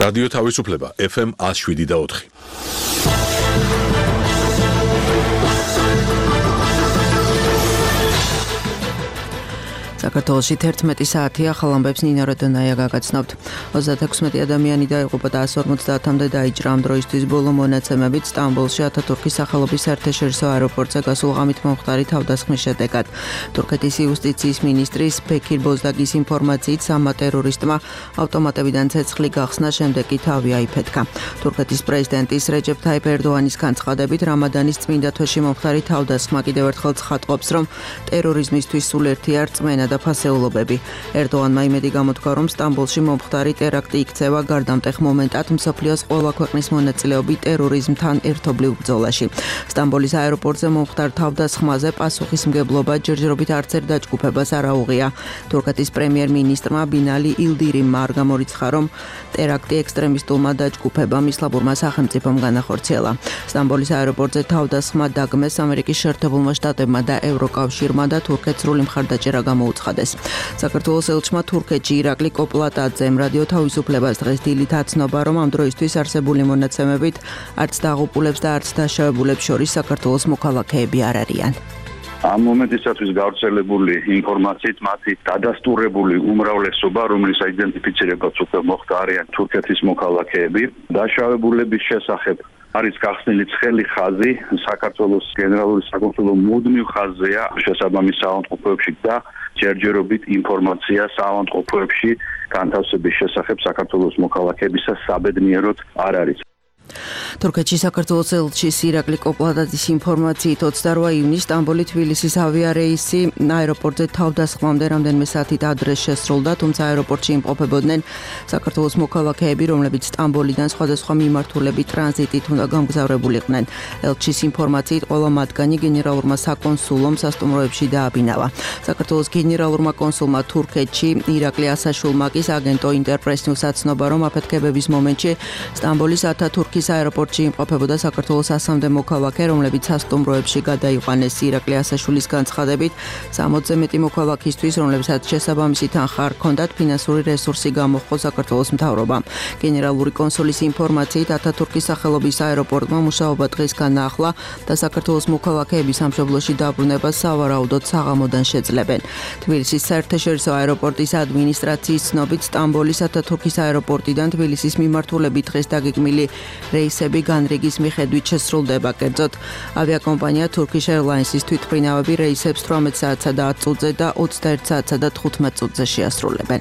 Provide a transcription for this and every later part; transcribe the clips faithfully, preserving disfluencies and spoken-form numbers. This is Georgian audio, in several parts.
რადიო თავისუფლება ეფ ემ one oh seven და four. საქართველოში თერთმეტი საათია ახალ ამბებს ნინა როდონაია გაგაცნობთ. ოცდაექვსი ადამიანი დაიღუპა და one ორმოცდაათამდე დაიჭრა. ამ დროისთვის ბოლო მონაცემებით სტამბოლში ათათურქის სახელობის საერთაშორისო აეროპორტზე გასულ ღამით მომხდარი თავდასხმის შედეგად. თურქეთის იუსტიციის მინისტრის ბექირ ბოზდაგის ინფორმაციით სამმა ტერორისტმა ავტომატებიდან ცეცხლი გახსნა, შემდეგ კი თავი აიფეთქა. თურქეთის პრეზიდენტის რეჯეფ თაიფ ერდოანის განცხადებით რამადანის წმინდა თვეში მომხდარი თავდასხმა კიდევ ერთხელ ცხადყოფს, რომ ტერორიზმისთვის სულ ერთია რწმენა და ფასეულობები. ერდოანმა იმედი გამოთქვა, რომ სტამბოლში მომხდარი ტერაქტი იქცევა გარდამტეხ მომენტად მსოფლიოს ყველა ქვეყნის მონაწილეობით ტერორიზმთან ერთობლივ ბრძოლაში. სტამბოლის აეროპორტზე მომხდარ თავდასხმაზე პასუხისმგებლობა ჯერჯერობით არცერთ დაჯგუფებას არ აუღია. თურქეთის პრემიერ-მინისტრმა ბინალი ილდირიმმა არ გამორიცხა, რომ ტერაქტი ექსტრემისტულმა დაჯგუფებამ ისლამურმა სახელმწიფომ განახორციელა. სტამბოლის აეროპორტზე თავდასხმა დაგმეს ამერიკის შეერთებულმა შტატებმა და ევროკავშირმა და თურქეთს სრული მხარდაჭერა გამოუცხადა. საქართველოს ელჩმა თურქეთში ირაკლი კოპლატაძემ რადიო თავისუფლებას დღეს დილით აცნობა, რომ ამ დროისთვის არსებული მონაცემებით არც დაღუპულებს და არც დაშავებულებს შორის საქართველოს მოქალაქეები არ არიან. ამ მომენტისათვის გავრცელებული ინფორმაციით მათი დადასტურებული უმრავლესობა, რომლის აიდენტიფიცირებაც უკვე მოხდა, არიან თურქეთის მოქალაქეები. დაშავებულების შესახებ არის გახსნილი ცხელი ხაზი საქართველოს გენერალური საკონსულო მუდმივ ხაზზეა შესაბამის საავადმყოფოებში და ჯერჯერობით ინფორმაცია საავადმყოფოებში განთავსების შესახებ საქართველოს მოქალაქეებისა საბედნიეროდ არ არის. თურქეთში საქართველოს ელჩის ირაკლი კოპლატაძის ინფორმაციით ოცდარვა ივნისს სტამბოლი თბილისის ავიარეისი აეროპორტზე თავდასხმამდე რამდენიმე საათით ადრე შესრულდა, თუმცა აეროპორტში იმყოფებოდნენ საქართველოს მოქალაქეები, რომლებიც სტამბოლიდან სხვადასხვა მიმართულებით ტრანზიტით უნდა გამგზავრებულიყვნენ. ელჩის ინფორმაციით ყველა მათგანი გენერალურმა საკონსულომ სასტუმროებში დააბინავა. საქართველოს გენერალურმა კონსულმა თურქეთში ირაკლი ასაშულმაკის აგენტო ინტერპრესს აცნობა, რომ აფეთქებების მომენტში სტამბოლის ათათურქის აეროპორტში იმყოფებოდა საქართველოს ასამდე მოქალაქე, რომლებიც სასტუმროებში გადაიყვანეს. ირაკლი ასაშულის განცხადებით, სამოცზე მეტი მოქალაქისთვის, რომლებსაც შესაბამისი თანხა არ ჰქონდათ, ფინანსური რესურსი გამოჰყო საქართველოს მთავრობამ. გენერალური კონსულის ინფორმაციით, ათათურქის სახელობის აეროპორტმა მუშაობა დღეს განაახლა და საქართველოს მოქალაქეების სამშობლოში დაბრუნებას სავარაუდოდ საღამოდან შეძლებენ. თბილისის საერთაშორისო აეროპორტის ადმინისტრაციის ცნობით, სტამბოლის ათათურქის აეროპორტიდან თბილისის მიმართულებით დღეს დაგეგმილი რეისები განრიგის მიხედვით შესრულდება. კერძოდ, ავიაკომპანია Turkish Airlines-ის თვითმფრინავები რეისებს თვრამეტ საათსა და ათ წუთზე და ოცდაერთ საათსა და თხუთმეტ წუთზე შეასრულებენ.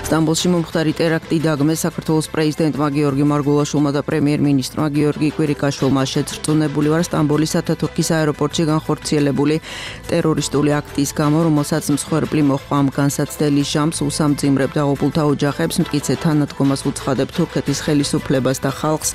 სტამბოლში მომხდარი ტერაქტი დაგმეს საქართველოს პრეზიდენტმა გიორგი მარგულაშვილმა და პრემიერ-მინისტრმა გიორგი კვირიკაშვილმა. შეძრწუნებული ვარ სტამბოლის ათათურქის აეროპორტში განხორციელებული ტერორისტული აქტის გამო, რომელსაც მსხვერპლი მოჰყვა. ამ განსაცდელი ჟამს უსამძიმრებ დაღუპულთა ოჯახებს, მტკიცე თანადგომას უცხადებ თურქეთის ხელისუფლებას და ხალხს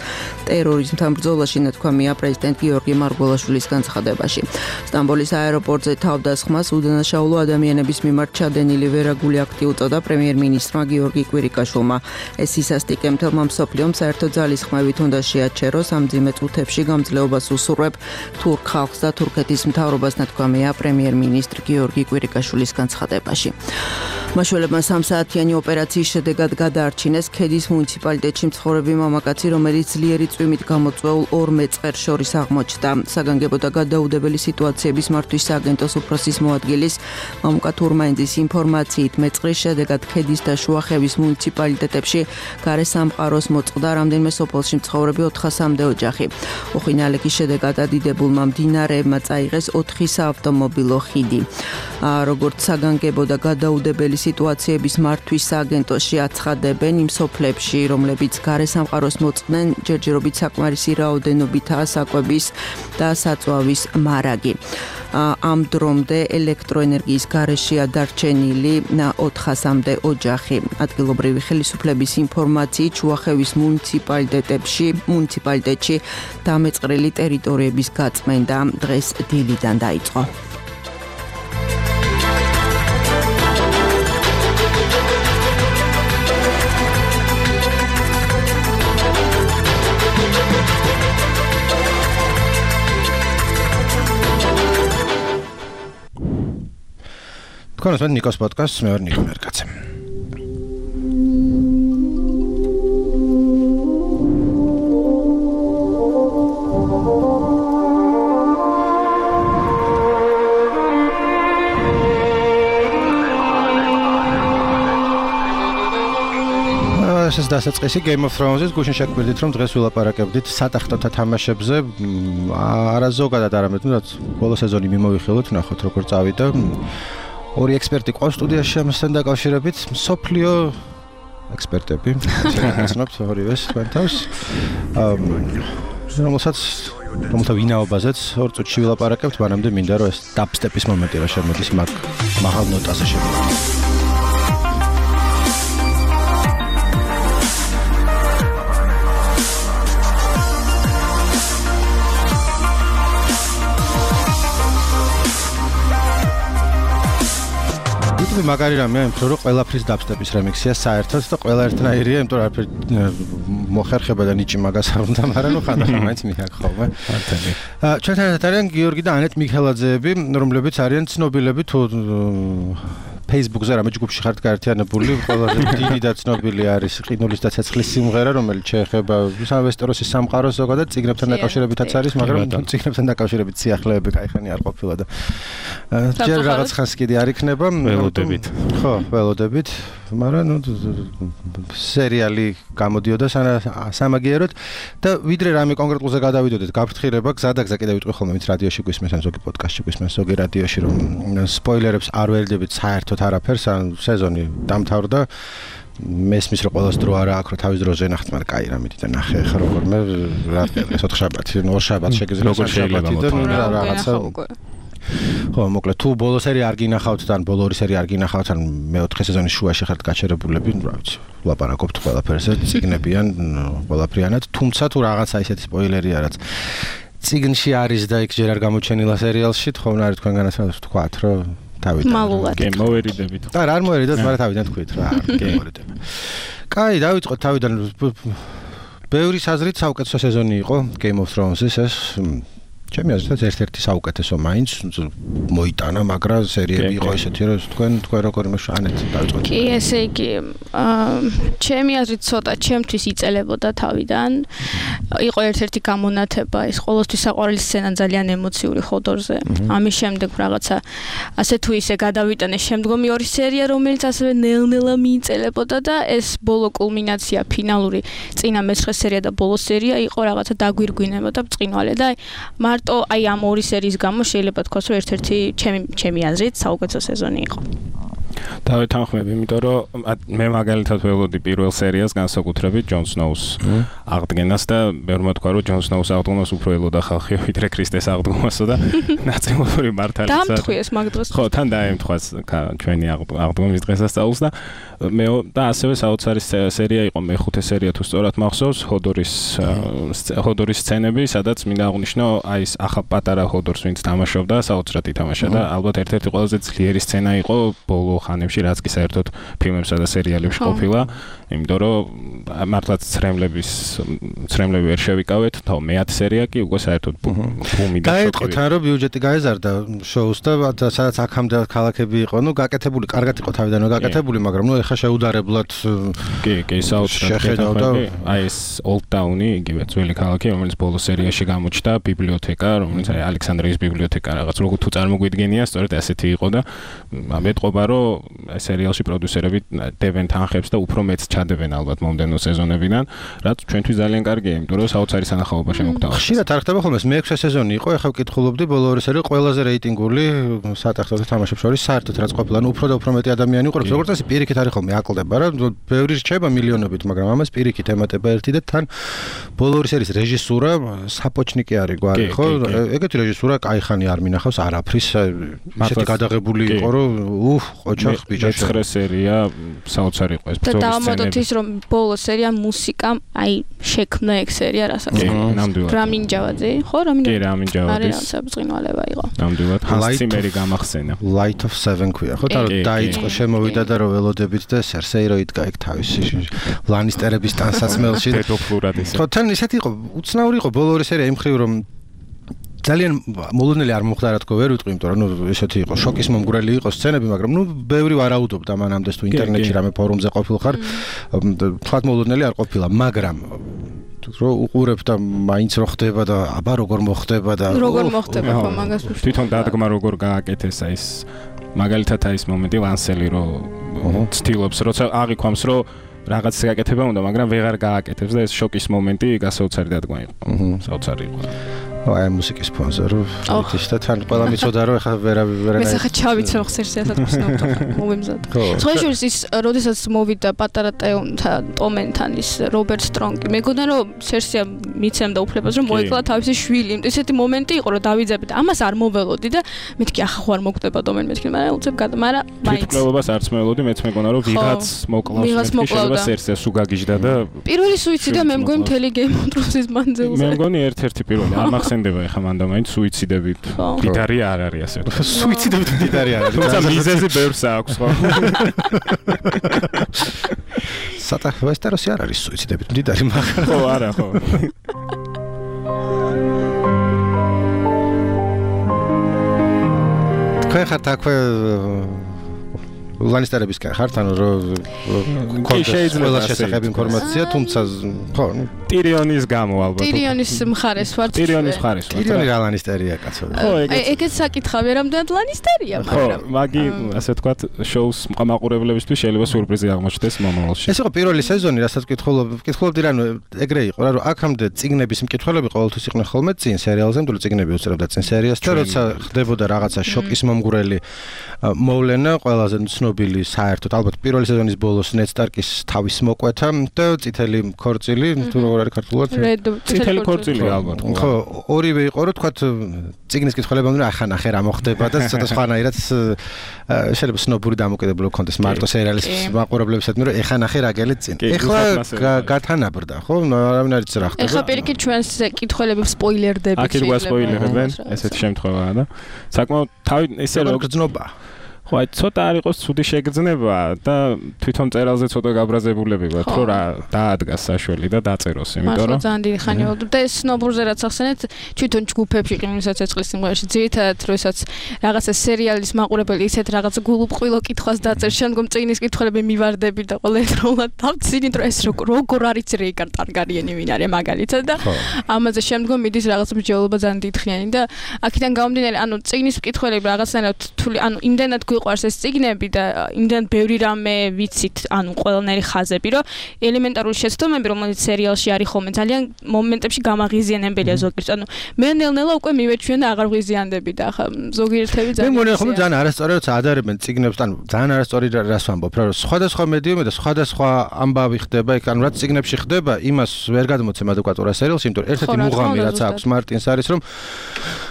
ტერორიზმთან ბრძოლაში, ნათქვამია პრეზიდენტ გიორგი მარგულაშვილის განცხადებაში. სტამბოლის აეროპორტზე თავდასხმას უდანაშაულო ადამიანების მიმართ ჩადენილი ვერაგული აქტი უწოდა პრემიერ-მინისტრმა გიორგი კვირიკაშვილმა. ეს ისასტიკე მთელმა მსოფლიომ საერთო ძალისხმევით უნდა შეაჩეროს. ამ მძიმე წუთებში გამძლეობას უსურვებ თურქ ხალხს და თურქეთის მთავრობას, ნათქვამია პრემიერ-მინისტრ გიორგი კვირიკაშვილის განცხადებაში. მაშველებმა სამსაათიანი ოპერაციის შედეგად გადაარჩინეს ქედის მუნიციპალიტეტში მცხოვრები მამაკაცი, რომელიც ძლიერი წვიმით გამოწვეულ ორ მეწყერს შორის აღმოჩნდა. საგანგებო და გადაუდებელი სიტუაციების მართვის სააგენტოს უფროსის მოადგილის მამუკა თურმაინძის ინფორმაციით, მეწყრის შედეგად ქედის და შუახევის მუნიციპალიტეტებში გარესამყაროს მოწყდა რამდენიმე სოფელში მცხოვრები ოთხასამდე ოჯახი. უხინალების შედეგად ადიდებულმა მდინარეებმა წაიღეს ოთხი საავტომობილო ხიდი. როგორც საგანგებო და გადაუდებელი სიტუაციების მართვის სააგენტოში აცხადებენ, იმ სოფლებში, რომლებიც გარესამყაროს მოწყდნენ, ჯერჯერობით საკმარისი რაოდენობითაა საკვების და საწვავის მარაგი. ამ დრომდე ელექტროენერგიის გარეშეა დარჩენილი ოთხასამდე ოჯახი. ადგილობრივი ხელისუფლების ინფორმაციით, შუახევის მუნიციპალიტეტებში, მუნიციპალიტეტში დამეწყრილი ტერიტორიების გაწმენდა დღეს დილიდან დაიწყო. თქვენს მე ნიკოს პოდკასტს მე ვარ ნიკო მერკაცე. ესეც დასაწყისი Game of Thrones-ის გუშინ შეგვიძლით რომ დღეს ვილაპარაკებდით სატახტოთა თამაშებზე არა ზოგადად არამედ ნუ რაც ბოლო სეზონი მიმოვიხილოთ ნახოთ როგორ წავიდა ორი ექსპერტი ყავს სტუდიაში ამასთან დაკავშირებით სოფლიო ექსპერტები შეგაცნობთ ორივეს თქვენთავს რომელსაც რომელთა ვინაობაზეც ორ წუთში ვილაპარაკებთ მანამდე მინდა რომ ეს დაბსტეპის მომენტი რა შემოდის მაგ მაღალ ნოტაზე შემოდის მაგარი რამეა, იმიტომ რომ ყველაფრის დაბსტეპის რემიქსია საერთოდ და ყველა ერთნაირია, იმიტომ რომ არაფერი მოხერხება და ნიჭი მაგას არ უნდა, მაგრამ ნუ ხანდახან მაინც მიაქ ხოლმე. მართალი. ჩვენთან ერთად არიან გიორგი და ანეტ მიქელაძეები, რომლებიც არიან ცნობილები თუ Facebook-ზე რამე ჯგუფში ხართ გაერთიანებული, ყველაზე დიდი და ცნობილი არის ყინულის და ცეცხლის სიმღერა, რომელიც შეეხება ვესტეროსის სამყაროს ზოგადად, ციგნებთან დაკავშირებითაც არის, მაგრამ ციგნებთან დაკავშირებით სიახლეები кайხანი არ ყოფილა და ჯერ რაღაც ხანს კიდე არ იქნება. ველოდებით. ხო, ველოდებით, მაგრამ ნუ სერიალი გამოდიოდა სამაგიეროდ და ვიდრე რამე კონკრეტულზე გადავიდოდეთ, გაფრთხილება, გზა და გზა კიდე ვიტყვი ხოლმე, ვინც რადიოში გვისმენს, ან ზოგი პოდკასტში გვისმენს, ზოგი რადიოში რომ სპოილერებს არ ვერდებით საერთოდ არაფერს, ან სეზონი დამთავრდა. მესმის რომ ყოველს დრო არა აქვს, რომ თავის დროზე ნახეთ, მაგრამ კაი რა მიდით და ნახე ხა როგორმე რა ეს ოთხშაბათი, ორ შაბათს შეგიძლია შაბათი და რაღაცა ხო, მოკლედ თუ ბოლო სერია არ გინახავთ და ან ბოლო ორი სერია არ გინახავთ, ან მეოთხე სეზონის შუაში ხართ გაჩერებულები, რა ვიცი, ვლაპარაკობთ ყველაფერზე, ციგნებიან, ყველაფრიანად, თუმცა თუ რაღაცა ისეთი სპოილერია, რაც ციგნში არის და იქ ჯერ არ გამოჩენილა სერიალში, თხოვნა არის თქვენგანაც ვთქვათ, რომ თავიდან. მალულად. კი, მოვერიდებით. და რა არ მოვერიდოთ, მაგრამ თავიდან თქვით რა, კი, მოვერიდებით. კაი, დავიწყოთ თავიდან. ბევრი საზრით საუკეთესო სეზონი იყო Game of Thrones-ის ეს ჩემი აზრით ერთ-ერთი საუკეთესო მაინც მოიტანა, მაგრამ სერიები იყო ესეთი, რომ თქვენ თქვენ როგორ მოშანეთ დავიწყოთ. კი, ესე იგი, ჩემი აზრით ცოტა ჩემთვის იწელებოდა თავიდან. იყო ერთ-ერთი გამონათება, ეს ყოველთვის საყვარელი სცენა ძალიან ემოციური ხოდორზე. ამის შემდეგ რაღაცა ასე თუ ისე გადავიტანე შემდგომი ორი სერია, რომელიც ასევე ნელ-ნელა მიიწელებოდა და ეს ბოლო კულმინაცია, ფინალური წინა მეცხრე სერია და ბოლო სერია იყო რაღაცა დაგვირგვინებოდა ბრწყინვალე და მარტო აი ამ ორი სერიის გამო შეიძლება თქვას, რომ ერთ-ერთი ჩემი ჩემი აზრით საუკეთესო სეზონი იყო. დავეთანხმები, იმიტომ რომ მე მაგალითად ველოდი პირველ სერიას განსაკუთრებით ჯონ სნოუს აღდგენას და ბევრმა თქვა, რომ ჯონ სნოუს აღდგომას უფრო ელოდა ხალხი, ვიდრე ქრისტეს აღდგომასო და ნაწილობრივ მართალია. დამთხვიეს მაგ დროს. ხო, თან დაემთხვას ჩვენი აღდგომის დღესასწაულს და მე და ასევე საოცარი სერია იყო მეხუთე სერია თუ სწორად მახსოვს, ჰოდორის ჰოდორის სცენები, სადაც მინდა აღვნიშნო აი ეს ახალ პატარა ჰოდორს, ვინც თამაშობდა, საოცრად ითამაშა და ალბათ ერთ-ერთი ყველაზე ძლიერი სცენა იყო ბოლო ხანებში, რაც კი საერთოდ ფილმებსა და სერიალებში ყოფილა, იმიტომ რომ მართლაც ცრემლების ცრემლები ვერ შევიკავეთ, თო მეათე სერია კი უკვე საერთოდ ბუმი და შოკი. გაეთყოთ რომ ბიუჯეტი გაეზარდა შოუს და სადაც აქამდე ქალაქები იყო, ნუ გაკეთებული, კარგად იყო თავიდანვე გაკეთებული, მაგრამ ნუ ეხა შეუდარებლად კი, კი, საოცრად აი ეს Old Town-ი, იგივე ძველი ქალაქი, რომელიც ბოლო სერიაში გამოჩნდა, ბიბლიოთეკა, რომელიც აი ალექსანდრიის ბიბლიოთეკა რაღაც როგორ თუ წარმოგვიდგენია, სწორედ ასეთი იყო და მეტყობა რომ აი სერიალში პროდიუსერები დებენ თანხებს და უფრო მეც ჩადებენ ალბათ მომდენო სეზონებიდან, რაც ჩვენთვის ძალიან კარგია, იმიტომ რომ საოცარი სანახაობა შემოგთავაზა. ხშირად არ ხდება ხოლმე ეს მეექვსე სეზონი იყო, ეხლა ვკითხულობდი ბოლო ორი სერია ყველაზე რეიტინგული სატახტოთა თამაშებს შორის საერთოდ რაც ყოფილა, ნუ უფრო და უფრო მეტი ადამიანი უყურებს. როგორც წესი პირიქით არის ხოლმე აკლდება რა, ბევრი რჩება მილიონობით, მაგრამ ამას პირიქით ემატება ერთი და თან ბოლო ორი სერიის რეჟისურა საპოჩნიკი არის გვარი, ხო? ეგეთი რეჟისურა кайხანი არ მინახავს არაფრის, ისეთი გადაღებული იყო, რომ უჰ, ოჩახ ბიჭა მეცხრე სერია საოცარი იყო ეს ბრძოლის სცენები. და დავამატოთ ის, რომ ბოლო სერია მუსიკა, აი შექმნა ეგ სერია რასაც. ნამდვილად. რამინ ჯავაძე, ხო, რამინ? კი, რამინ ჯავაძის. არის ბრწყინვალება იყო. ნამდვილად. ჰალციმერი გამახსენა. Light of Seven ქვია, ხო? და დაიწყო შემოვიდა და რომ ველოდებით და სერსეი რო იდგა ეგ თავისი ლანისტერების ტანსაცმელში. პედოფლურად ისე. ხო, თან ისეთი იყო, უცნაური იყო ბოლო ორი სერია იმ ხრივ რომ ძალიან მოლოდნელი არ მოხდა რა თქო ვერ ვიტყვი, იმიტომ რომ ნუ ესეთი იყო შოკის მომგვრელი იყო სცენები, მაგრამ ნუ ბევრი ვარაუდობდა მანამდე თუ ინტერნეტში რამე ფორუმზე ყოფილხარ, თქვათ მოლოდნელი არ ყოფილა, მაგრამ რო უყურებ და მაინც რო ხდება და აბა როგორ მოხდება და როგორ მოხდება ხო მაგას უშ თვითონ დადგმა როგორ გააკეთეს აი ეს მაგალითად აი ეს მომენტი ლანსელი რო ცდილობს როცა აღიქვამს რომ რაღაც გაკეთება უნდა, მაგრამ ვეღარ გააკეთებს და ეს შოკის მომენტი გასაოცარი დადგმა იყო. საოცარი იყო. აი მუსიკის სპონსორი ის და თან ყველა მიცოდა რომ ეხლა ვერა ვერა მე ხა ჩავიცავ ხსერსიასაც ვსნობდა მომემზად. სხვა შორის ის როდესაც მოვიდა პატარა ტომენთან ის რობერტ სტრონგი მეგონა რომ სერსია მიცემდა უფლებას რომ მოეკლა თავისი შვილი. ესეთი მომენტი იყო რომ დავიძაბე და ამას არ მოველოდი და მეთქი ახლა ხო არ მოგდება დომენ მეთქი მაგრამ უცებ გადა მაგრამ მაინც თვითმკვლელობას არც მეველოდი მეც მეგონა რომ ვიღაც მოკლავს მეთქი შეიძლება სერსიას უგაგიჟდა და პირველი სუიციდია მე მგონი მთელი Game of Thrones-ის მანძილზე. მე მგონი ერთ-ერთი პირველი არ მახსენდება ეხა მანდა მაინც სუიციდებით დიდარი არ არის ასე ვთქვათ. სუიციდებით დიდარი არ არის. თუმცა მიზეზი ბევრს აქვს ხო? სატა ვესტეროსი არ არის სუიციდებით დიდარი მაგრამ ხო არა ხო. თქვენ ხართ აქვე ლანისტერებისკენ ხართ ანუ რომ ყველა შესახებ ინფორმაცია თუმცა ხო ტირიონის გამო ალბათ ტირიონის მხარეს ვარ ტირიონის მხარეს ვარ ტირიონი რა ლანისტერია კაცო ხო ეგეც საკითხავია რამდენად ლანისტერია მაგრამ ხო მაგი ასე ვთქვათ შოუს მყამაყურებლებისთვის შეიძლება სიურპრიზი აღმოჩნდეს მომავალში ეს იყო პირველი სეზონი რასაც ვკითხულობ ვკითხულობდი რა ეგრე იყო რა რომ აქამდე წიგნების მკითხველები ყოველთვის იყვნენ ხოლმე წინ სერიალზე მეტყვი წიგნები უწევდა წინ სერიას და როცა ხდებოდა რაღაცა შოკის მომგვრელი მოვლენა ყველაზე ცნობილი საერთოდ ალბათ პირველი სეზონის ბოლოს ნედ სტარკის თავის მოკვეთა და წითელი ქორწილი თუ როგორ არის ქართულად წითელი ქორწილი ალბათ ხო ორივე იყო რომ თქვათ წიგნის კითხველებამდე ახლა ნახე რა მოხდება და ცოტა სხვანაირად შეიძლება სნობური დამოკიდებულება ქონდეს მარტო სერიალის მაყურებლებისადმი რომ ახლა ნახე რა გელით წინ ახლა გათანაბრდა ხო არავინ არ იცი რა ხდება ახლა პირიქით ჩვენს კითხველებს სპოილერდები აქ იყო სპოილერებენ ესეთი შემთხვევაა და საკმაოდ თავი ესე რომ გძნობა ხო აი ცოტა არ იყოს ცუდი შეგრძნება და თვითონ წერალზე ცოტა გაბრაზებულები ვართ რომ რა დაადგას საშველი და დაწეროს იმიტომ რომ ძალიან დიდი ხანი ვარ და ეს სნობურზე რაც ახსენეთ თვითონ ჯგუფებში ყინულსაც ეწყლის სიმღერაში ძირითადად როდესაც რაღაცა სერიალის მაყურებელი ისეთ რაღაც გულუბრყვილო კითხვას დაწერს შემდგომ წიგნის კითხველები მივარდები და ყველა ერთდროულად დავცინით რომ ეს როგორ არის რეიკარ ტარგარიენი ვინ არის მაგალითად და ამაზე შემდგომ მიდის რაღაც მსჯელობა ძალიან დიდხიანი და აქედან გამომდინარე ანუ წიგნის კითხველები რაღაცნაირად თული ანუ იმდენად ყვარს ეს წიგნები და იმდენ ბევრი რამე ვიცით, ანუ ყველანაირი ხაზები, რომ ელემენტარული შეცდომები, რომელიც სერიალში არის ხოლმე, ძალიან მომენტებში გამაღიზიანებელია ზოგიერთ. ანუ მე ნელ-ნელა უკვე მივეჩვენ და აღარ ვღიზიანდები და ახლა ზოგიერთები ძალიან მე მგონი ხოლმე ძალიან არასწორი როცა ადარებენ წიგნებს, ანუ ძალიან არასწორი რას ვამბობ, რომ სხვადასხვა მედიუმი და სხვადასხვა ამბავი ხდება, იქ ანუ რაც წიგნებში ხდება, იმას ვერ გადმოცემ ადეკვატურად სერიალში, იმიტომ რომ ერთ-ერთი მუღამი რაც აქვს მარტინს არის, რომ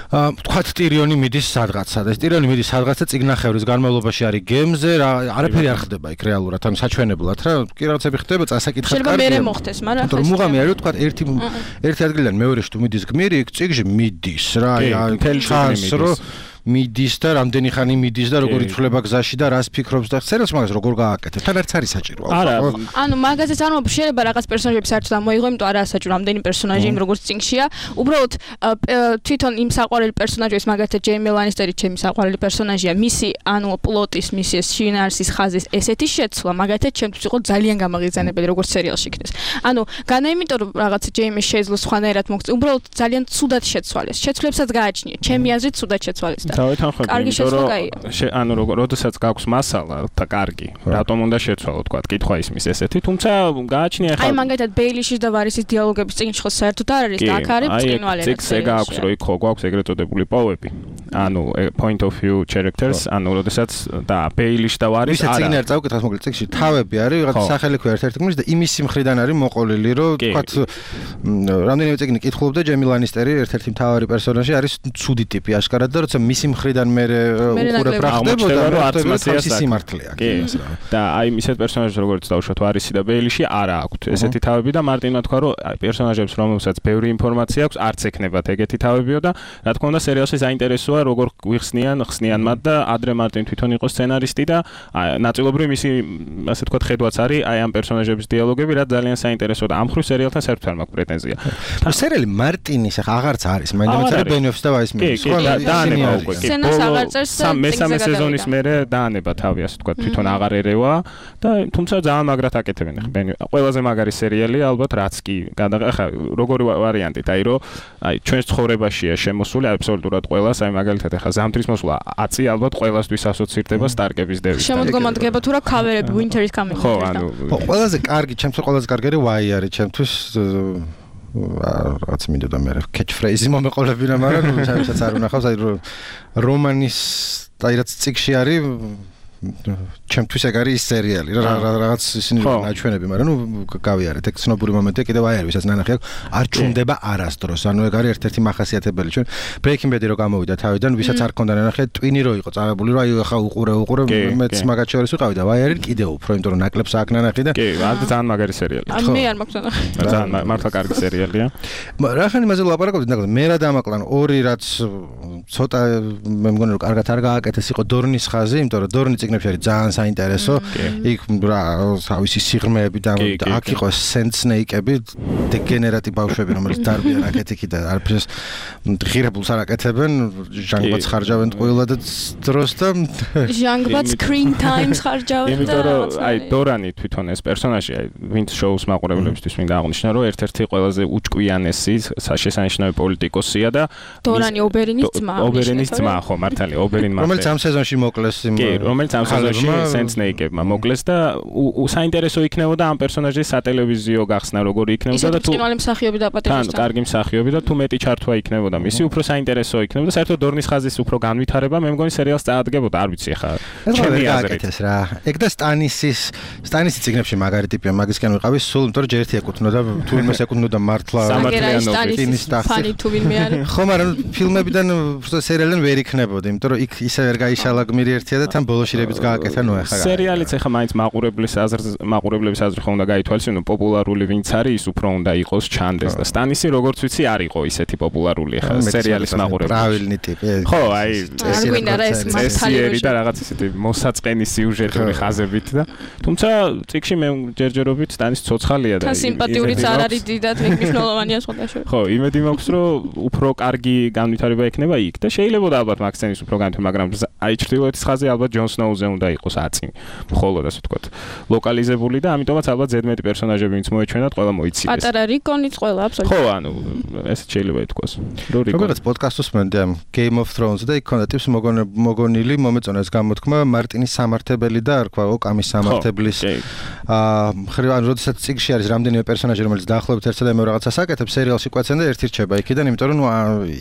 აა თქვათ ტირიონი მიდის სადღაცა და ეს ტირიონი მიდის სადღაცა წიგნახევრის განმავლობაში არის გემზე რა არაფერი არ ხდება იქ რეალურად ანუ საჩვენებლად რა კი რაღაცები ხდება წასაკითხად კარგია შეიძლება მერე მოხდეს მაგრამ ახლა მუღამი არის თქვა ერთი ერთი ადგილიდან მეორეში თუ მიდის გმირი იქ წიგში მიდის რა აი ჩანს რომ მიდის და რამდენი ხანი მიდის და როგორ იცვლება გზაში და რას ფიქრობს და სერიალს მაგას როგორ გააკეთებ თან არც არის საჭირო არა ანუ მაგაზეც არ მომბ შეიძლება რაღაც პერსონაჟები საერთოდ ამოიღო იმიტომ არა საჭირო რამდენი პერსონაჟი იმ როგორც წიგნშია უბრალოდ თვითონ იმ საყვარელი პერსონაჟის მაგათაც ჯეიმი ლანისტერი ჩემი საყვარელი პერსონაჟია მისი ანუ პლოტის მისი ეს შინაარსის ხაზის ესეთი შეცვლა მაგათაც ჩემთვის იყო ძალიან გამაღიზიანებელი როგორც სერიალში იქნეს ანუ განა იმიტომ რომ რაღაც ჯეიმი შეძლო სხვანაირად მოგწ უბრალოდ ძალიან ცუდად შეცვალეს შეცვლებსაც გააჩნია ჩემი აზრით ცუდად შეცვალეს და თავიდან ხო იმიტომ ანუ როგორ როდესაც გაქვს მასალა და კარგი რატომ უნდა შეცვალო თქვა კითხვა ისმის ესეთი თუმცა გააჩნია ახლა აი მაგათაც ბეილიშის და ვარისის დიალოგების წიგნში ხო საერთოდ არ არის და აქ არის ბრწყინვალე წიგნს ეგ აქვს რომ იქ ხო გვაქვს ეგრეთ წოდებული პოვები ანუ point of view characters ანუ როდესაც და ბეილიში და ვარის არა წიგნი არ წავკითხავს მოკლედ წიგნში თავები არის რაღაც სახელი ქვია ერთ-ერთი გმირის და იმის მხრიდან არის მოყოლილი რომ თქვა რამდენიმე წიგნი კითხულობდა ჯეიმი ლანისტერი ერთ-ერთი მთავარი პერსონაჟი არის ცუდი ტიპი აშკარად და როცა მისი მხრიდან მე უყურებ რა ხდებოდა რომ არც მასის სიმართლეა და აი ისეთ პერსონაჟებს როგორც დავუშვათ ვარისი და ბეილიში არა აქვთ ესეთი თავები და მარტინმა თქვა რომ პერსონაჟებს რომელსაც ბევრი ინფორმაცია აქვს არც ექნებათ ეგეთი თავებიო და რა თქმა უნდა სერიალში საინტერესოა როგორ გვიხსნიან ხსნიან მათ და ადრე მარტინ თვითონ იყო სცენარისტი და ნაწილობრივ მისი ასე ვთქვათ ხედვაც არის აი ამ პერსონაჟების დიალოგები რაც ძალიან საინტერესოა და ამ ხრივ სერიალთან საერთოდ არ მაქვს პრეტენზია სერიალი მარტინის ახლა აღარც არის მაინც არის ბენიოფს და ვაის მინის ხო და დაანება უკვე სცენას აღარ წერს და მესამე სეზონის მერე დაანება თავი, ასე ვთქვათ, თვითონ აღარ ერევა და თუმცა ძალიან მაგრად აკეთებენ. ყველაზე მაგარი სერიალია ალბათ რაც კი გადაღახა როგორი ვარიანტით, აი რომ აი ჩვენს ცხოვრებაშია შემოსული აბსოლუტურად ყველას, აი მაგალითად ახლა ზამთრის მოსვლა ათი ალბათ ყველასთვის ასოცირდება სტარკების დევით. შემოდგომადგება თუ რა ქავერები Winter is coming. ხო, ანუ ყველაზე კარგი, ჩემთვის ყველაზე კარგი ვაი არის, ჩემთვის რაც მინდოდა მე catch phrase მომეყოლებინა, მაგრამ ჩემსაც არ უნახავს, აი რომანის აი რაც ციკში არის ჩემთვის ეგ არის სერიალი რა რაღაც ისინი ნაჩვენები, მაგრამ ნუ გავიარეთ ეგ ცნობური მომენტია კიდევ აი არის, ვისაც ნანახი აქვს არ ჩუმდება არასდროს, ანუ ეგ არის ერთ-ერთი მახასიათებელი ჩვენ Breaking Bad-ი რო გამოვიდა თავიდან, ვისაც არ ქონდა ნანახი, ტვინი რო იყო წაღებული, რომ აი ახლა უყურე უყურე მეც მაგათ შორის ვიყავი და აი არის კიდევ უფრო, იმიტომ რომ ნაკლებს აქ ნანახი და კი, არ ძალიან მაგარი სერიალია. ან მე არ მაქვს ნანახი. ძალიან მართლა კარგი სერიალია. რა ხანი მასე ლაპარაკობდით, ნახე მე რა დამაკლან ორი რაც ცოტა მე მგონი რომ კარგად არ გააკეთეს იყო დორნის ხაზი, იმიტომ რომ დორნი ციგნებში არის ძალიან საინტერესო. იქ რა თავისი სიღრმეები და აქ იყო სენდ სნეიკები, დეგენერატი ბავშვები, რომელიც დარბიან რაკეტიკი და არაფერს ღირებულს არ აკეთებენ, ჟანგბაც ხარჯავენ ყველა და დროს და ჟანგბაც screen time-ს ხარჯავენ და იმიტომ რომ აი დორანი თვითონ ეს პერსონაჟი, აი ვინც შოუს მაყურებლებისთვის მინდა აღნიშნო, რომ ერთ-ერთი ყველაზე უჭკვიანესი საშესანიშნავი პოლიტიკოსია და დორანი ობერინის ძმა. ობერინის ძმა, ხო, მართალია, ობერინ მართალია. რომელიც ამ სეზონში მოკლეს იმ კი, რომელიც ამ სეზონში სენდ სნეიკებმა მოკლეს და საინტერესო იქნებოდა ამ პერსონაჟის სატელევიზიო გახსნა როგორი იქნებოდა და თუ ისეთი მსახიობი დაპატიმრეს. თან კარგი მსახიობი და თუ მეტი ჩართვა იქნებოდა მისი, უფრო საინტერესო იქნებოდა. საერთოდ დორნის ხაზის უფრო განვითარება, მე მგონი სერიალს წაადგებოდა, არ ვიცი ახლა. ჩემი აზრით ეს რა. ეგ და სტანისის სტანისის ციგნებში მაგარი ტიპია, მაგისკენ ვიყავი სულ, იმიტომ რომ ჯერ ერთი ეკუთვნოდა, თუ იმას ეკუთვნოდა მართლა სამართლიანობის ფანი თუ ვინმე არის. ხო, მაგრამ ფილმებიდან სერიალიდან ვერ იქნებოდა, იმიტომ რომ იქ ისე ვერ გაიშალა გმირი ერთია და თან ბოლოშირებიც გააკეთა, ნუ ახლა სერიალიც ახლა მაინც მაყურებლის აზრს მაყურებლების აზრი ხომ უნდა გაითვალისწინო, პოპულარული ვინც არის, ის უფრო უნდა იყოს ჩანდეს და სტანისი როგორც ვიცი არ იყო ისეთი პოპულარული ახლა სერიალის მაყურებელი. პრავილნი ტიპი. ხო, აი არ გვინდა რა ეს მართალი და რაღაც ისეთი მოსაწყენი სიუჟეტური ხაზებით და თუმცა წიგში მე ჯერჯერობით სტანის ცოცხალია და სიმპათიურიც არ არის დიდად ეგ მნიშვნელოვანია სხვადასხვა. ხო, იმედი მაქვს რომ უფრო კარგი განვითარება ექნება იქ და შეიძლება ალბათ მაგ სცენის უფრო განვითარება, მაგრამ აი ჩრდილოეთის ხაზი ალბათ ჯონ სნოუზე უნდა იყოს აწი. მხოლოდ ასე ვთქვათ, ლოკალიზებული და ამიტომაც ალბათ ზედმეტი პერსონაჟები ვინც მოეჩვენათ, ყველა მოიცილეს. პატარა რიკონიც ყველა აბსოლუტურად. ხო, ანუ ესეც შეიძლება ითქვას. რო რიკონი. როგორც პოდკასტს მენდე ამ Game of Thrones და იქ ქონდა ტიპს მოგონილი, მომეწონა ეს გამოთქმა მარტინის სამართებელი და არ თქვა ოკამის სამართებლის. აა ხრივ ან როდესაც წიგში არის რამდენიმე პერსონაჟი, რომელიც დაახლოებით ერთსა და მეორე რაღაცას აკეთებს, სერიალში კვეცენ და ერთი რჩება იქიდან, იმიტომ რომ ნუ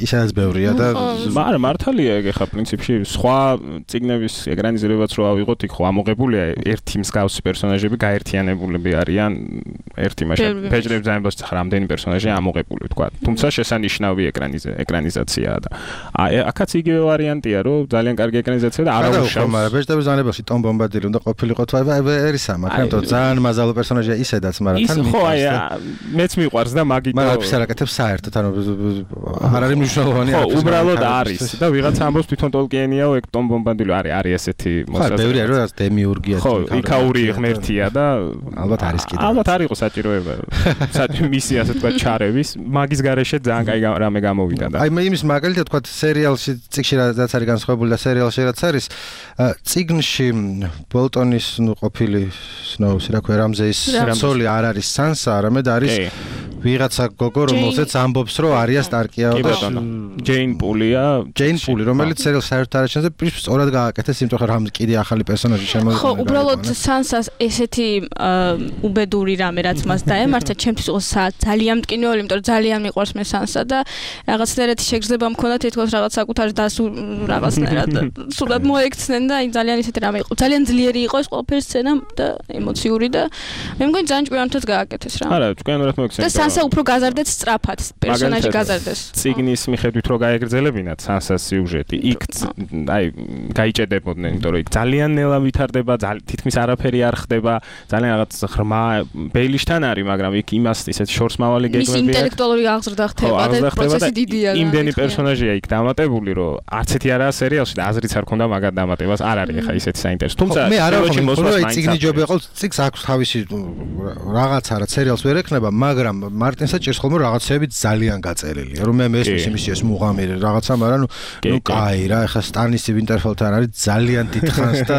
ისედაც ბევრია და მაგრამ მართალია ეგ ახლა პრინციპში სხვა წიგნების ეკრანიზირებაც რო ავიღოთ, იქ ხო ამოღებულია ერთი მსგავსი პერსონაჟები გაერთიანებულები არიან ერთი მაშინ ფეჯრებს ზამბოს რამდენი პერსონაჟი ამოღებული ვთქვა. თუმცა შესანიშნავი ეკრანიზაციაა და აი აქაც იგივე ვარიანტია, რომ ძალიან კარგი ეკრანიზაცია და არაუშავს. მაგრამ ფეჯრების ზამბოში ტომ ბომბადილი უნდა ყოფილიყო თუ აი ერისა, მაგრამ ძალიან მაზალო პერსონაჟია ისედაც, მაგრამ თან ხო, აი მეც მიყვარს და მაგით მაგრამ ის არ აკეთებს საერთოდ, ანუ არ არის მნიშვნელოვანი ხო, უბრალოდ არის და ვიღაცა ამბობს თვითონ ტოლკიენიაო ეგ ტომ ბომბადილი არის არის ესეთი მოსაზრება. ხო, ბევრი არის რა დემიურგია ხო, იქაური ღმერთია და ალბათ არის კიდე. ალბათ არ იყო საჭიროება. საჭირო მისია ასე თქვა ჩარევის, მაგის გარეშე ძალიან კაი რამე გამოვიდა და აი მე იმის მაგალითად თქვა სერიალში წიგში რაც არის განსხვავებული და სერიალში რაც არის წიგნში ბოლტონის ნუ ყოფილი სნოუსი რა ქვია რამზეის სოლი არ არის სანსა, არამედ არის ვიღაცა გოგო რომელსაც ამბობს რომ არია სტარკია და ჯეინ პულია, ჯეინ პული, რომელიც სერიალს საერთოდ არ აჩენს და სწორად გააკეთეს, იმიტომ რომ რამ კიდე ახალი პერსონაჟი შემოიღო. ხო, უბრალოდ სანსას ესეთი უბედური რამე რაც მას დაემართა, ჩემთვის იყო ძალიან მტკივნეული, იმიტომ რომ ძალიან მიყვარს მე სანსა და რაღაცნაირად შეგრძნება მქონდა თითქოს რაღაც საკუთარ დასუ რაღაცნაირად სულად მოექცნენ და აი ძალიან ისეთი რამე იყო. ძალიან ძლიერი იყო ეს ყველაფერი სცენა და ემოციური და მე მგონი ძალიან ჭკვიანთაც გააკეთეს რა. არა, ჭკვიანურად მოექცნენ. და სანსა უფრო გაზარდეთ სწრაფად, პერსონაჟი გაზარდეს. ციგნის მიხედვით რო გაეგრძელებინათ სანსას სიუჟეტი, იქ აი გაიჭედებოდნენ, იმიტომ რომ იქ ძალიან ნელა ვითარდება, თითქმის არაფერი არ ხდება, ძალიან რაღაც ღრმა ბეილიშთან არის, მაგრამ იქ იმას ისეთ შორსმავალი გეგმები აქვს. ის ინტელექტუალური აღზრდა ხდება და პროცესი დიდია. იმდენი პერსონაჟია იქ დამატებული, რომ არც ერთი არაა სერიალში და აზრიც არ ქონდა მაგათ დამატებას, არ არის ახლა ისეთი საინტერესო. თუმცა მე არ ვარ ციგნი ჯობია ყავს, ციგს აქვს თავისი რაღაცა რა სერიალს ვერ ექნება, მაგრამ მარტინსაც ჭირს ხოლმე რაღაცები ძალიან გაწერილი. რომ მე მესმის იმის ეს მუღამი რაღაცა, მაგრამ ნუ ნუ კაი რა, ეხლა სტანისი ვინტერფელთან არის ძალიან დიდხანს და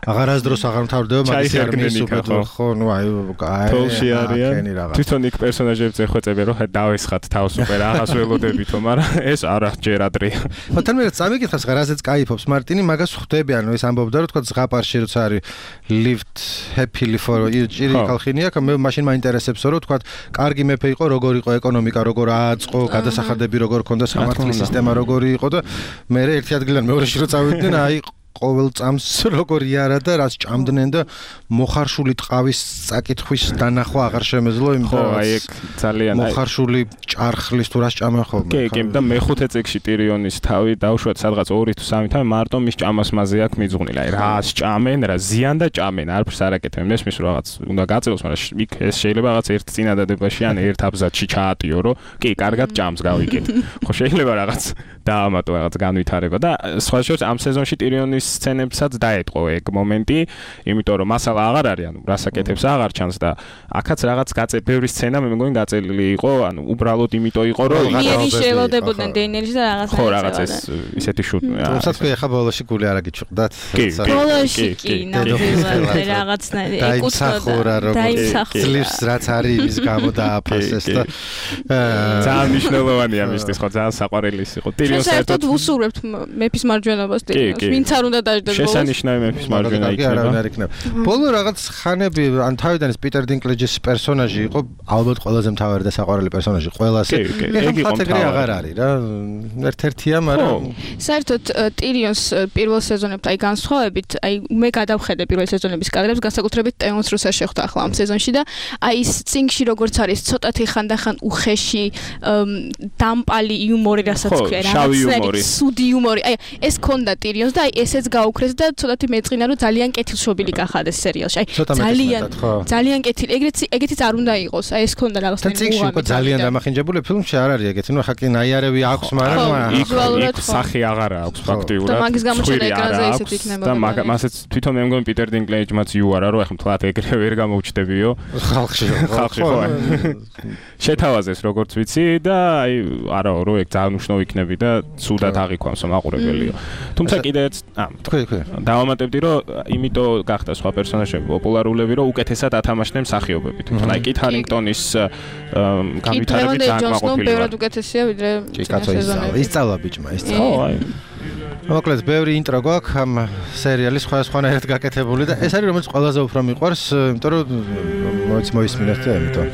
აღარასდროს აღარ მთავრდება მაგის არმიის სუპერდო ხო, ნუ აი კაი. თოლში არიან. თვითონ იქ პერსონაჟებს ეხვეწები რომ დაესხათ თავს სუპერ აღას ველოდებითო, მაგრამ ეს არა ჯერ ადრეა. ხო, თან მე წამიკითხავს რა, რაზეც კაიფობს მარტინი, მაგას ხვდები, ანუ ეს ამბობდა რომ თქვა ზღაპარში როცა არის lift happily for ჭირი ხალხინია, მე მაშინ მაინტერესებსო რომ თქვა კარგი მეფე იყო, როგორ იყო ეკონომიკა, როგორ ააწყო, გადასახადები როგორ ქონდა, სამართლის სისტემა როგორი იყო და მე ერთი ადგილიდან მეორეში რო წავიდნენ, აი ყოველ წამს როგორი არა და რაც ჭამდნენ და მოხარშული ტყავის საკითხვის დანახვა აღარ შემეძლო, იმიტომ რომ აი ეგ ძალიან მოხარშული ჭარხლის თუ რას ჭამენ ხოლმე. კი, კი, და მეხუთე წიგში ტირიონის თავი დავუშვათ სადღაც ორი თუ სამი თავი მარტო მის ჭამას მასზე აქვს მიძღვნილი. აი რას ჭამენ, რა ზიან და ჭამენ, არაფერს არ აკეთებენ. მესმის რომ რაღაც უნდა გაწევოს, მაგრამ იქ ეს შეიძლება რაღაც ერთ წინადადებაში ან ერთ აბზაცში ჩაატიო, რომ კი, კარგად ჭამს, გავიგეთ. ხო, შეიძლება რაღაც დაამატო რაღაც განვითარება და სხვა შორის ამ სეზონში ტირიონის სცენებსაც დაეთყო ეგ მომენტი, იმიტომ რომ მასალა აღარ არის, ანუ რასაკეთებს აღარ ჩანს და აქაც რაღაც გაწე ბევრი სცენა მე მგონი გაწელილი იყო, ანუ უბრალოდ იმიტომ იყო რომ რაღაცა შეელოდებოდნენ დეინერის და რაღაცა ხო, რაღაც ეს ისეთი შუტი. თუმცა თქვი ახლა ბოლოში გული არ აგიჩუყდათ. ბოლოში კი, ნამდვილად რაღაცნაირი ეკუთვნოდა. ძლივს რაც არის იმის გამო დააფასეს და ძალიან მნიშვნელოვანია მისთვის ხო, ძალიან საყვარელი იყო. ტირიონს საერთოდ ვუსურვებთ მეფის მარჯვენობას ტირიონს. ვინც არ უნდა დაждდეს ბოლოს. შესანიშნავი მეფის მარჯვენა იქნება. ბოლო რაღაც ხანები ან თავიდან ეს პიტერ დინკლეჯის პერსონაჟი იყო ალბათ ყველაზე მთავარი და საყვარელი პერსონაჟი ყველასე. ეგ იყო მთავარი აღარ არის რა. ერთ-ერთია, მაგრამ საერთოდ ტირიონს პირველ სეზონებთან აი განსხვავებით, აი მე გადავხედე პირველ სეზონების კადრებს, განსაკუთრებით ტეონს როცა შეხვდა ახლა ამ სეზონში და აი ის წინგში როგორც არის ცოტათი ხანდახან უხეში დამპალი იუმორი, რასაც ქვია, რაღაცნაირი სუდი იუმორი. აი ეს ქონდა ტირიონს და აი ესეც გაუქრეს და ცოტათი მეწყინა რომ ძალიან კეთილშობილი გახადეს სერიალში. აი ძალიან ძალიან კეთილი. ეგრეც ეგეთიც არ უნდა იყოს. აი ეს ქონდა რაღაცნაირი უღამი. და წიგნში ძალიან დამახინჯებული ფილმში არ არის ეგეთი. ნუ ხა კი ნაიარევი აქვს, მაგრამ იქ სახი აღარ აქვს ფაქტიურად. და მაგის გამოჩენა ეკრანზე ისეთ იქნებოდა. და მასეც თვითონ მე მგონი პიტერ დინკლეჯმაც იუარა რომ ახლა თლათ ეგრე ვერ გამოუჩდებიო ხალხში. ხალხში ხო. შეთავაზეს როგორც ვიცი და აი არაო რომ ეგ ძალიან უშნო იქნები და სუდად აღიქვამს მაყურებელიო. თუმცა კიდეც აა თქვი თქვი დავამატებდი რომ იმიტომ გახდა სხვა პერსონაჟები პოპულარულები რომ უკეთესად ათამაშდნენ მსახიობებით. აი კით ჰარინგტონის განვითარებით ძალიან მაყურებელი. ბევრად უკეთესია ვიდრე სეზონები. ისწავლა ბიჭმა, ისწავლა. ხო, აი. მოკლედ ბევრი ინტრო გვაქვს ამ სერიალის სხვადასხვანაირად გაკეთებული და ეს არის რომელიც ყველაზე უფრო მიყვარს, იმიტომ რომ მოიც მოისმინეთ და ამიტომ.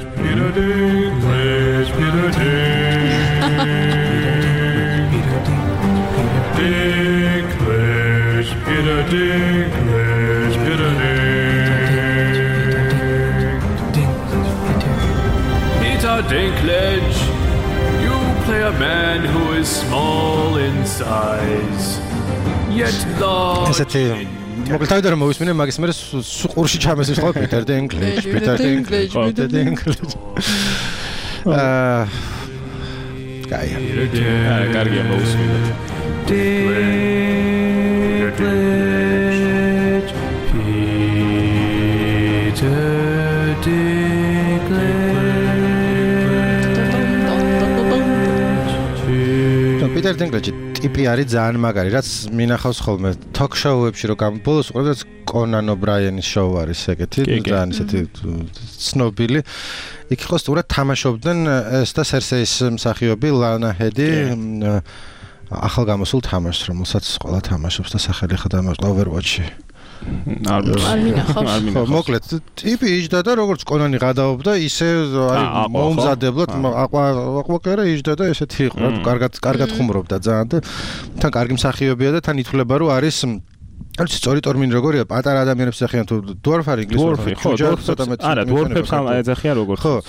Peter Dinklage, Peter Peter Dinklage, you play a man who is small in size, yet large. ესეთი მოკლედ რომ მოვისმინე მაგის მერე სუყურში ჩამესის ხო Peter Dinklage, Peter Dinklage, Peter Dinklage. აა კაია. აა კარგია მოვისმინე. Dinklage, Peter Dinklage. Peter Dinklage ტიპი არის ძალიან მაგარი, რაც მინახავს ხოლმე talk show-ებში რომ გამბოლოს უყურებს Conan O'Brien-ის show არის ეგეთი, ძალიან ისეთი ცნობილი. იქ ხო სტურად თამაშობდნენ ეს და Cersei-ის მსახიობი Lana Headey ახალ გამოსულ თამაშს, რომელსაც ყველა თამაშობს და სახელი ხდება Overwatch-ში. არ მინახავს. ხო, მოკლედ, ტიპი იჯდა და როგორც კონანი გადაობდა, ისე აი მომზადებლად აყვაკერა იჯდა და ესეთი იყო, კარგად კარგად ხუმრობდა ძალიან და თან კარგი მსახიობია და თან ითვლება რომ არის არ ვიცი სწორი ტერმინი როგორია პატარა ადამიანებს ეხიან თუ დვორფ არის ინგლისურად ხო არა დვორფებს ამ ეძახიან როგორც ხო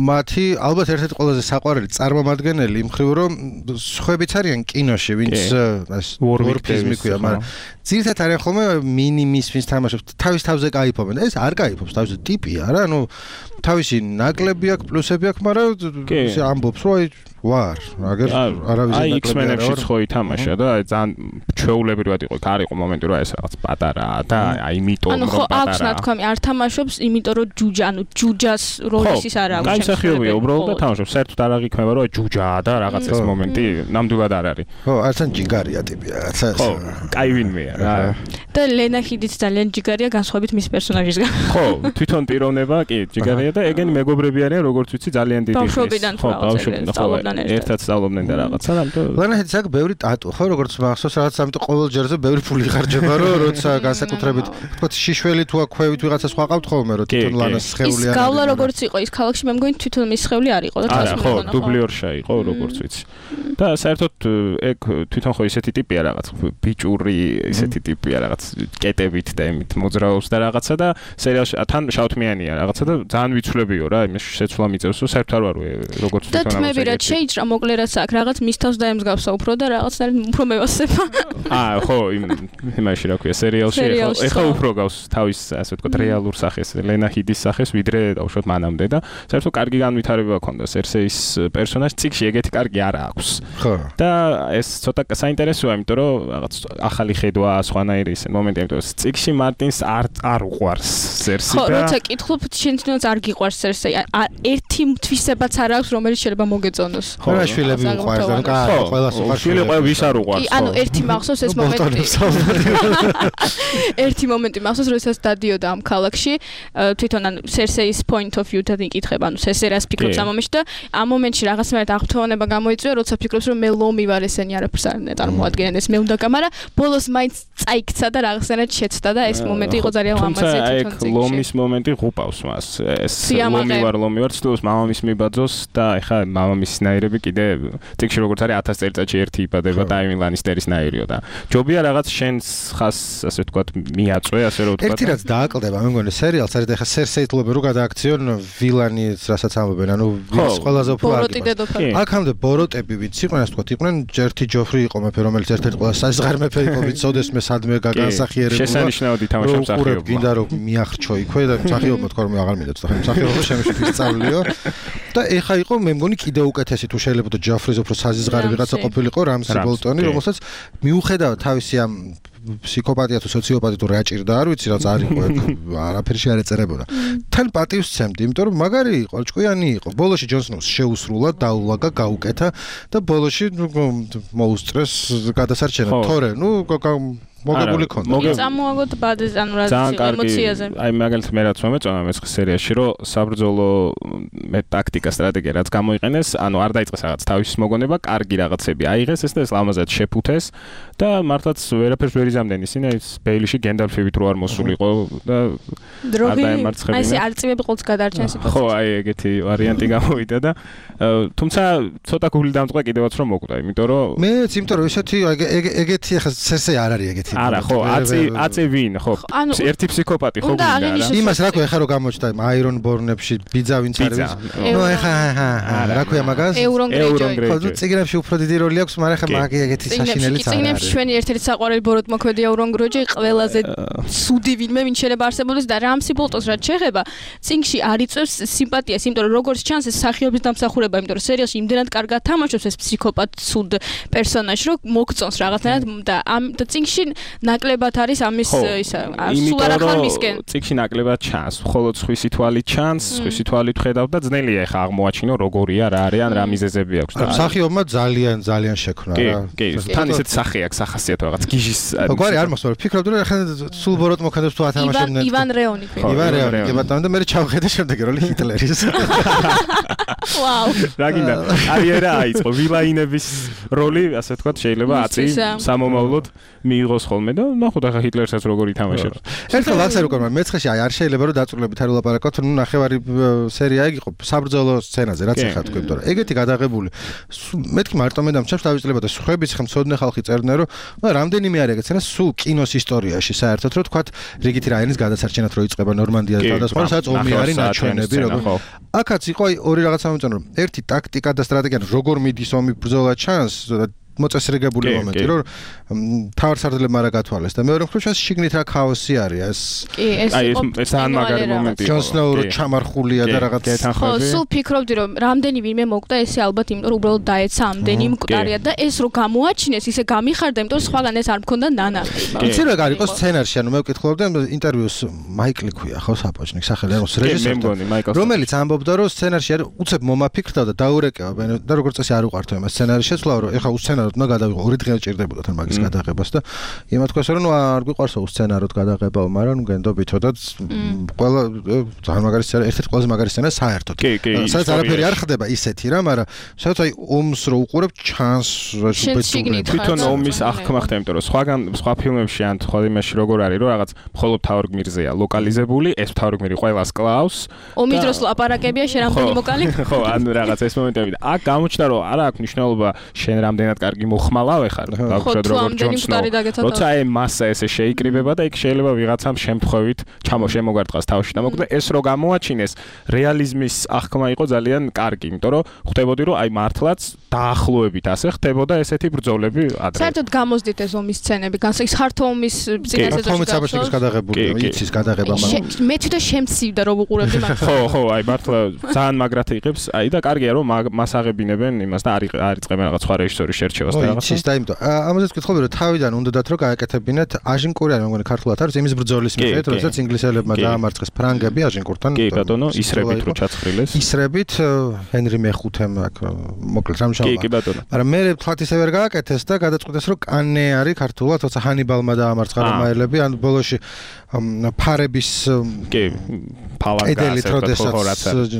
მათი ალბათ ერთ-ერთი ყველაზე საყვარელი წარმომადგენელი იმ ხრივ რომ სხვებიც არიან კინოში ვინც დვორფიზმი ქვია მაგრამ ძირითადად არიან ხოლმე მინიმის ვინც თამაშობს თავის თავზე кайფობენ ეს არ кайფობს თავის ტიპია რა ანუ თავისი ნაკლები აქვს, პლუსები აქვს, მაგრამ ისე ამბობს, რომ აი ვარ, აგერ არავის ნაკლები არ არის. აი X-Men-ში ხო ითამაშა და ძალიან ჩვეულებრივად იყო, არ იყო მომენტი, რომ ეს რაღაც პატარაა და აი იმიტომ რომ პატარაა. ანუ ხო აქვს ნათქვამი, არ თამაშობს, იმიტომ რომ ჯუჯა, ანუ ჯუჯას როლის ის არ აქვს. აი სახიობია უბრალოდ და თამაშობს. საერთოდ არ აღიქმება, რომ ჯუჯაა და რაღაც ეს მომენტი ნამდვილად არ არის. ხო, არცან ჯიგარია ტიპი რაღაცა. ხო, კაი ვინმეა რა. და ლენა ჰიდიც ძალიან ჯიგარია განსხვავებით მის პერსონაჟისგან. ხო, თვითონ ტიროვნება კი ჯიგარია და ეგენი მეგობრები არიან, როგორც ვიცი, ძალიან დიდი ხნის. ხო, ბავშვობიდან სწავლობდნენ. ერთად სწავლობდნენ და რაღაცა და ამიტომ ლენა ჰიდიც აქვს ბევრი ტატუ, ხო, როგორც მახსოვს, რაღაც ამიტომ ყოველ ჯერზე ბევრი ფული ხარჯება, რომ როცა განსაკუთრებით, თქო, შიშველი თუ აქვს ქვევით ვიღაცა სხვა ყავთ ხოლმე, რომ თვითონ ლანას სხეული არის. ის გავლა როგორც იყო ის ქალაქში, მე მგონი თვითონ მის სხეული არ იყო და თავს მეგონა. ხო, დუბლიორშა იყო, როგორც ვიცი. და საერთოდ ეგ თვითონ ხო ისეთი ტიპია რაღაც ბიჭური ისეთი ტიპია რაღაც კეტებით და იმით მოძრაობს და რაღაცა და სერიალში თან შავთმიანია რაღაცა და ძალიან ვიცვლებიო რა, იმის შეცვლა მიწევს, საერთოდ არ ვარ როგორც თვითონ ამბობს. და თმები რა შეიჭრა მოკლე რაც აქვს, რაღაც მის თავს დაემსგავსა უფრო და რაღაც უფრო მევასება. აა ხო, იმ იმაში რა ქვია, სერიალში ხო, ეხლა უფრო გავს თავის ასე ვთქვათ რეალურ სახეს, ლენა ჰიდის სახეს, ვიდრე დავუშვათ მანამდე და საერთოდ კარგი განვითარება ჰქონდა სერსეის პერსონაჟს, ციკში ეგეთი კარგი არ აქვს. ხო. და ეს ცოტა საინტერესოა, იმიტომ რომ რაღაც ახალი ხედვა, სხვანაირი ის მომენტი, იმიტომ რომ ციკში მარტინს არ არ უყვარს სერსი და ხო, როცა კითხულობ, შენ თვითონაც არ გიყვარს სერსი, ერთი თვისებაც არ აქვს, რომელიც შეიძლება მოგეწონოს. ხო, რა შვილები უყვარს და კაი, ყველას უყვარს. შვილები ყველა ვის არ უყვარს. კი, ანუ ერთი მახსოვს ეს მომენტი. ერთი მომენტი მახსოვს, როდესაც დადიოდა ამ ქალაქში, თვითონ ანუ სერსეის point of view-დან იკითხება, ანუ სესერას ფიქრობს ამ მომენტში და ამ მომენტში რაღაცნაირად აღფრთოვანება გამოიწვია, როცა ფიქრობს, რომ მე ლომი ვარ, ესენი არაფერს არ წარმოადგენენ, ეს მე უნდა გამარა, ბოლოს მაინც წაიქცა და რაღაცნაირად შეცდა და ეს მომენტი იყო ძალიან ლამაზი თვითონ წიგნში. თუმცა ეგ ლომის მომენტი ღუპავს მას. ეს ლომი ვარ, ლომი ვარ, ცდილობს მამამის მიბაძოს და ეხა მამამისის ნაირები კიდე წიგნში როგორც არის ათას წელიწადში ერთი იბადება ტაიმი ლანისტერის ნაირიო და ჯობია რაღაც შენს ხას ასე ვთქვათ მიაწვე, ასე რომ ვთქვათ. ერთი რაც დააკლდება, მე მგონი სერიალს არის და ეხა სერსეითლობენ რომ გადააქციონ ვილანი, რასაც ამბობენ, ანუ ვის ყველაზე უფრო არის. აქამდე ბოროტები ვინც იყვნენ, ასე ვთქვათ, იყვნენ ჯერთი ჯოფრი იყო მეფე, რომელიც ერთ-ერთი ყველა საზღარ მეფე იყო, ვინც ოდეს მე სადმე გაგანსახიერებულა. შესანიშნავად ითამაშა მსახიობობა. გინდა რომ მიახრჩო იქვე და მსახიობობა თქვა რომ აღარ მინდა თქვა მსახიობობა შემეშვით ისწავლიო. და ეხა იყო მე მგონი კიდე უკეთესი თუ შეიძლება და ჯოფრის უფრო საზღარი ვიღაცა ყოფილიყო რამსი ბოლტონი, რომელსაც მიუხედავად თავისი ამ ფსიქოპათია თუ სოციოპათია თუ რა ჭირდა არ ვიცი რაც არ იყო ეგ არაფერი არ ეწერებოდა. თან პატივს ცემდი, იმიტომ რომ მაგარი იყო, ჭკვიანი იყო. ბოლოში ჯონ სნოუს შეუსრულა, დაულაგა, გაუკეთა და ბოლოში მოუსწრეს გადასარჩენა. თორე, ნუ მოგებული ქონდა. წამოაგოთ ბადეს ანუ რა ემოციაზე. აი მაგალითად მე რაც მომეწონა მეცხრე სერიაში, რომ საბრძოლო მე ტაქტიკა, სტრატეგია რაც გამოიყენეს, ანუ არ დაიწყეს რაღაც თავის მოგონება, კარგი რაღაცები აიღეს ეს და ეს ლამაზად შეფუთეს და მართლაც ვერაფერს ვერ იზამდნენ ისინი, ის ბეილიში გენდალფივით რო არ მოსულიყო და არ დაემარცხებინა. აი ეს არწივები ყოველთვის გადარჩენ სიტუაციას. ხო, აი ეგეთი ვარიანტი გამოვიდა და თუმცა ცოტა გული დამწყვა კიდევაც რომ მოკვდა, იმიტომ რომ მეც იმიტომ რომ ესეთი ეგეთი ახლა სერსე არ არის ეგეთი. არა ხო, აწი აწი ვინ, ხო, ერთი ფსიქოპათი ხო გინდა რა. იმას რა ქვია, ხა რო გამოჩნდა აირონ ბორნებში ბიძა ვინც არის. ნუ ეხა რა ქვია მაგას? ევრონ გრეიჯოი. ხო, წიგნებში უფრო დიდი როლი აქვს, მაგრამ ხა მაგ ეგეთი საშინელიც არ არის. წიგნებში ჩვენი ერთ-ერთი საყვარელი ბოროტმოქმედი ევრონ გრეიჯოი ყველაზე სუდი ვინმე ვინ შეიძლება არსებობდეს და რამსი ბოლტოს რაც შეეხება, წიგნში არ იწევს სიმპათიას, იმიტომ რომ როგორც ჩანს ეს სახიობის დამსახურება, იმიტომ რომ სერიალში იმდენად კარგად თამაშობს ეს ფსიქოპათ სუდ პერსონაჟი, რომ მოგწონს რაღაცნაირად და ამ და წიგნში ნაკლებად არის ამის ისა სულ არ ახარ მისკენ. წიგნში ნაკლებად ჩანს, მხოლოდ სხვისი თვალით ჩანს, სხვისი თვალით ხედავ და ძნელია ხა აღმოაჩინო როგორია რა არის ან რა მიზეზები აქვს და მსახიობმა ძალიან ძალიან შექმნა რა. კი, კი, თან ისეთ სახე აქვს, სახასიათო რაღაც გიჟის. გვარი არ მოსწორ, ფიქრობდი რომ ახლა სულ ბოროტ მოქმედებს თუ ათამაშებდნენ. ივან რეონი ფიქრობ. ივან რეონი, კი ბატონო და მე ჩავხედე შემდეგი როლი ჰიტლერის. ვაუ. რა გინდა? კარიერა აიწყო, ვილაინების როლი, ასე ვთქვათ, შეიძლება აწი სამომავლოდ მიიღოს ხოლმე და ნახოთ ახლა ჰიტლერსაც როგორ ითამაშებს. ერთხელ ვახსენე უკვე მეცხრეში აი არ შეიძლება რომ დაწვრილებით არ ულაპარაკოთ, ნუ ნახევარი სერია იგი იყო საბრძოლო სცენაზე, რაც ახლა თქვი, იმიტომ რომ ეგეთი გადაღებული მეთქი მარტო მე დამჩნევს დავიწლებოდა სხვების ხმცოდნე ხალხი წერდნენ რომ რამდენიმე არის ეგეთ სცენა სულ კინოს ისტორიაში საერთოდ რომ თქვათ რიგითი რაენის გადასარჩენად რო იწყება ნორმანდიაზე გადასხმა, სადაც ომი არის ნაჩვენები როგორ. აქაც იყო აი ორი რაღაცა მომწონო რომ ერთი ტაქტიკა და სტრატეგია როგორ მიდის ომი ბრძოლა ჩანს მოწესრიგებული მომენტი, რომ თავარსარდლებმა არა გათვალეს და მეორე მხრივ ჩვენს შიგნით რა ქაოსი არის ეს. კი, ეს იყო ძალიან მაგარი მომენტი. ჯონ სნოუ რო ჩამარხულია და რაღაც ხო, სულ ფიქრობდი რომ რამდენი ვინმე მოკვდა ესე ალბათ იმიტომ რომ უბრალოდ დაეცა ამდენი მკვდარია და ეს რო გამოაჩინეს ისე გამიხარდა იმიტომ რომ სხვაგან ეს არ მქონდა ნანახი. იცი რა არის იყოს სცენარში ანუ მე ვკითხულობდი ინტერვიუს მაიკლი ქვია ხო საპაჭნიკ სახელი აქვს რეჟისორი რომელიც ამბობდა რომ სცენარში არის უცებ მომაფიქრდა და დაურეკება და როგორც წესი არ უყართ ამ სცენარის შეცვლა რომ ეხლა უსცენაროდ უნდა გადავიღო ორი დღე ჭირდებოდა თან მაგის გადაღებას და იმათ თქვეს რომ ნუ არ გვიყვარს უსცენაროდ გადაღებაო მაგრამ ნუ გენდობითო და ყველა ძალიან მაგარი სცენა ერთ-ერთი ყველაზე მაგარი სცენა საერთოდ სადაც არაფერი არ ხდება ისეთი რა მაგრამ სადაც აი ომს რო უყურებ ჩანს თვითონ ომის აღქმა ხდება იმიტომ რომ სხვაგან სხვა ფილმებში ან სხვა იმაში როგორ არის რომ რაღაც მხოლოდ თავარ გმირზეა ლოკალიზებული ეს თავარ გმირი ყველას კლავს ომის დროს ლაპარაკებია შენ რამდენი მოკალი ხო ანუ რაღაც ეს მომენტები და აქ გამოჩნდა რომ არა აქვს მნიშვნელობა შენ რამდენად კარგი მოხმალავ ხარ გავხსნათ როგორ ჯონ სნოუ როცა აი მასა ესე შეიკრიბება და იქ შეიძლება ვიღაცამ შემთხვევით ჩამოშემოგარტყას თავში და მოკლედ ეს რო გამოაჩინეს რეალიზმის აღქმა იყო ძალიან კარგი იმიტომ რომ ხვდებოდი რომ აი მართლაც დაახლოებით ასე ხდებოდა ესეთი ბრძოლები ადრე საერთოდ გამოძდით ეს ომის სცენები განსაკუთრებით ხართო ომის წინა სეზონში საბჭოს გადაღებულია იცის გადაღება მაგრამ მე თვითონ შემცივდა რომ უყურებდი მაგას ხო ხო აი მართლა ძალიან მაგრად იღებს აი და კარგია რომ მას აღებინებენ იმას და არ არიწყებენ რაღაც სხვა რეჟისორის შერჩევას და რაღაცა იცის და იმიტომ ამაზეც ვკითხულობდი რომ თავიდან უნდათ რომ გააკეთებინათ აჟინკური არის მეგონი ქართულად არის იმის ბრძოლის მიხედვით როდესაც ინგლისელებმა დაამარცხეს ფრანგები აჟინკურთან კი ბატონო ისრებით რო ჩაცხრილეს ისრებით ჰენრი მეხუთემ აქ მოკლედ რამშავა კი კი ბატონო მაგრამ მე თქვათ ისე ვერ გააკეთეს და გადაწყვიტეს რომ კანე არის ქართულად თორსა ჰანიბალმა დაამარცხა რომაელები ან ბოლოში ფარების კი პალაგას როდესაც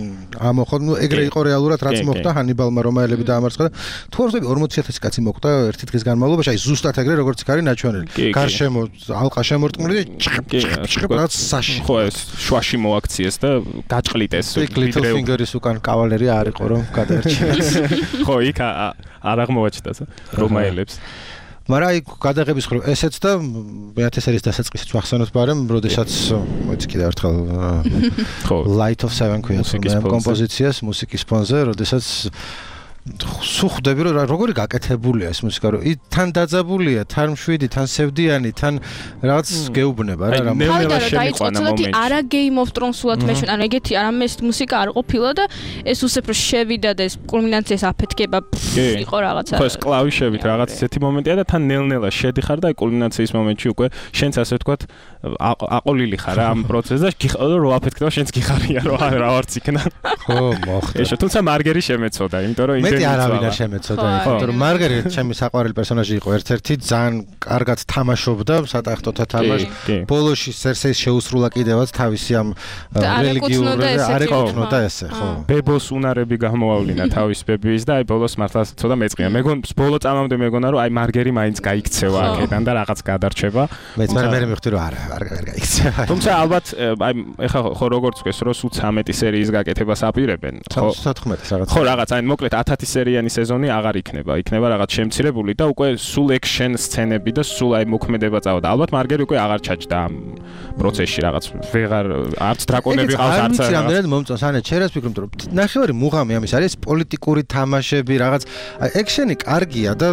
ამოხო ნუ ეგრე იყო რეალურად რაც მოხდა ჰანიბალმა რომაელები დაამარცხა და თუ არ ვთქვი ორმოცი ათასი კაცი მოხდა ერთი დღის განმავლობაში აი ზუსტად ეგრე როგორც იქ არის ნაჩვენელი გარშემო ალყა შემორტყმული და რაც საში ხო ეს შვაში მოაქციეს და გაჭყლიტეს ვიდრე ფინგერის უკან კავალერი არ იყო რომ გადაერჩინეს ხო იქ არ აღმოაჩნდა რომაელებს მაგრამ აი გადაღების ხრო ესეც და მეათე სერიის დასაწყისიც ვახსენოთ ბარემ როდესაც მოიცი კიდევ ერთხელ ხო Light of Seven ქვია კომპოზიციას მუსიკის ფონზე როდესაც სუხდები რომ როგორი გაკეთებულია ეს მუსიკა რომ თან დაძაბულია თან მშვიდი თან სევდიანი თან რაღაც გეუბნება რა რა ნელ-ნელა შემიყვანა მომენტი არა Game of Thrones-ულად მეშინ ანუ ეგეთი არამე ეს მუსიკა არ ყოფილა და ეს უსეფრო შევიდა და ეს კულმინაციას აფეთქება იყო რაღაცა ხო ეს კლავიშებით რაღაც ისეთი მომენტია და თან ნელ-ნელა შედიხარ და კულმინაციის მომენტში უკვე შენც ასე ვთქვათ აყოლილი ხარ ამ პროცესზე და გიხარ რომ აფეთქდება შენც გიხარია რომ რა ვარც იქნა ხო მოხდა ეს თუმცა მარგერი შემეცოდა იმიტომ რომ მეტი არავინ არ შემეცოდა იმიტომ რომ მარგერი ჩემი საყვარელი პერსონაჟი იყო ერთ-ერთი ძალიან კარგად თამაშობდა სატახტოთა თამაშს ბოლოში სერსეის შეუსრულა კიდევაც თავისი ამ რელიგიური არეკუთვნოდა ესე ხო ბებოს უნარები გამოავლინა თავის ბებიის და აი ბოლოს მართლა ცოტა მეწყია მეგონ ბოლო წამამდე მეგონა რომ აი მარგერი მაინც გაიქცევა აქედან და რაღაც გადარჩება მეც მე მე მივხვდი რომ არა არ გაიქცევა თუმცა ალბათ აი ეხლა ხო როგორც ვქეს რომ სულ ცამეტი სერიის გაკეთებას აპირებენ ხო თოთხმეტი რაღაც ხო რაღაც აი მოკლედ ათი სერიანი სეზონი აღარ იქნება იქნება რაღაც შემცირებული და უკვე სულ ექშენ სცენები და სულ აი მოქმედება წავა და ალბათ მარგერი უკვე აღარ ჩაჯდა ამ პროცესში რაღაც ვეღარ არც დრაკონები ყავს არც არც რამდენად მომწონს ანა ჩერას ფიქრობ რომ ნახევარი მუღამი ამის არის პოლიტიკური თამაშები რაღაც აი ექშენი კარგია და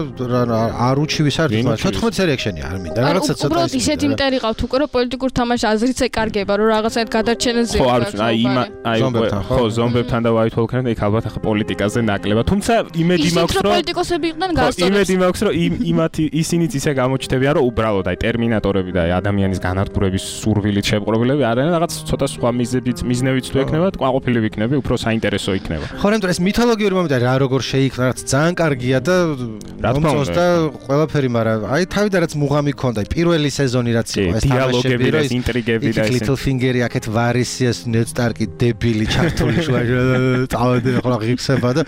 არ უჩივი საერთოდ მაგრამ თოთხმეტი სერია ექშენი არ მინდა რაღაცა ცოტა უბრალოდ ისეთი მტერი ყავთ უკვე რომ პოლიტიკურ თამაშს აზრიც ეკარგება რომ რაღაცად გადარჩენაზე ხო არის აი იმ აი ხო ზომბებთან და white walker-თან იქ ალბათ ახლა პოლიტიკაზე ნაკლებად თუმცა იმედი მაქვს რომ პოლიტიკოსები იყვნენ გასწორებს იმედი მაქვს რომ იმათი ისინიც ისე გამოჩნდებიან რომ უბრალოდ აი ტერმინატორები და აი ადამიანის განადგურების სურვილით შეპყრობილები არიან რაღაც ცოტა სხვა მიზნებით მიზნებით თუ ექნება ყვაყოფილი ვიქნები უფრო საინტერესო იქნება ხო რამე ეს მითოლოგიური მომენტი რა როგორ შეიქმნა რაც ძალიან კარგია და მომწონს და ყველაფერი მაგრამ აი თავიდან რაც მუღამი ქონდა აი პირველი სეზონი რაც იყო ეს დიალოგები და ინტრიგები და ეს Little Finger-ი აქეთ ვარისიას Ned Stark-ი დებილი ჩართული შუა წავედი ხოლმე ღირსება და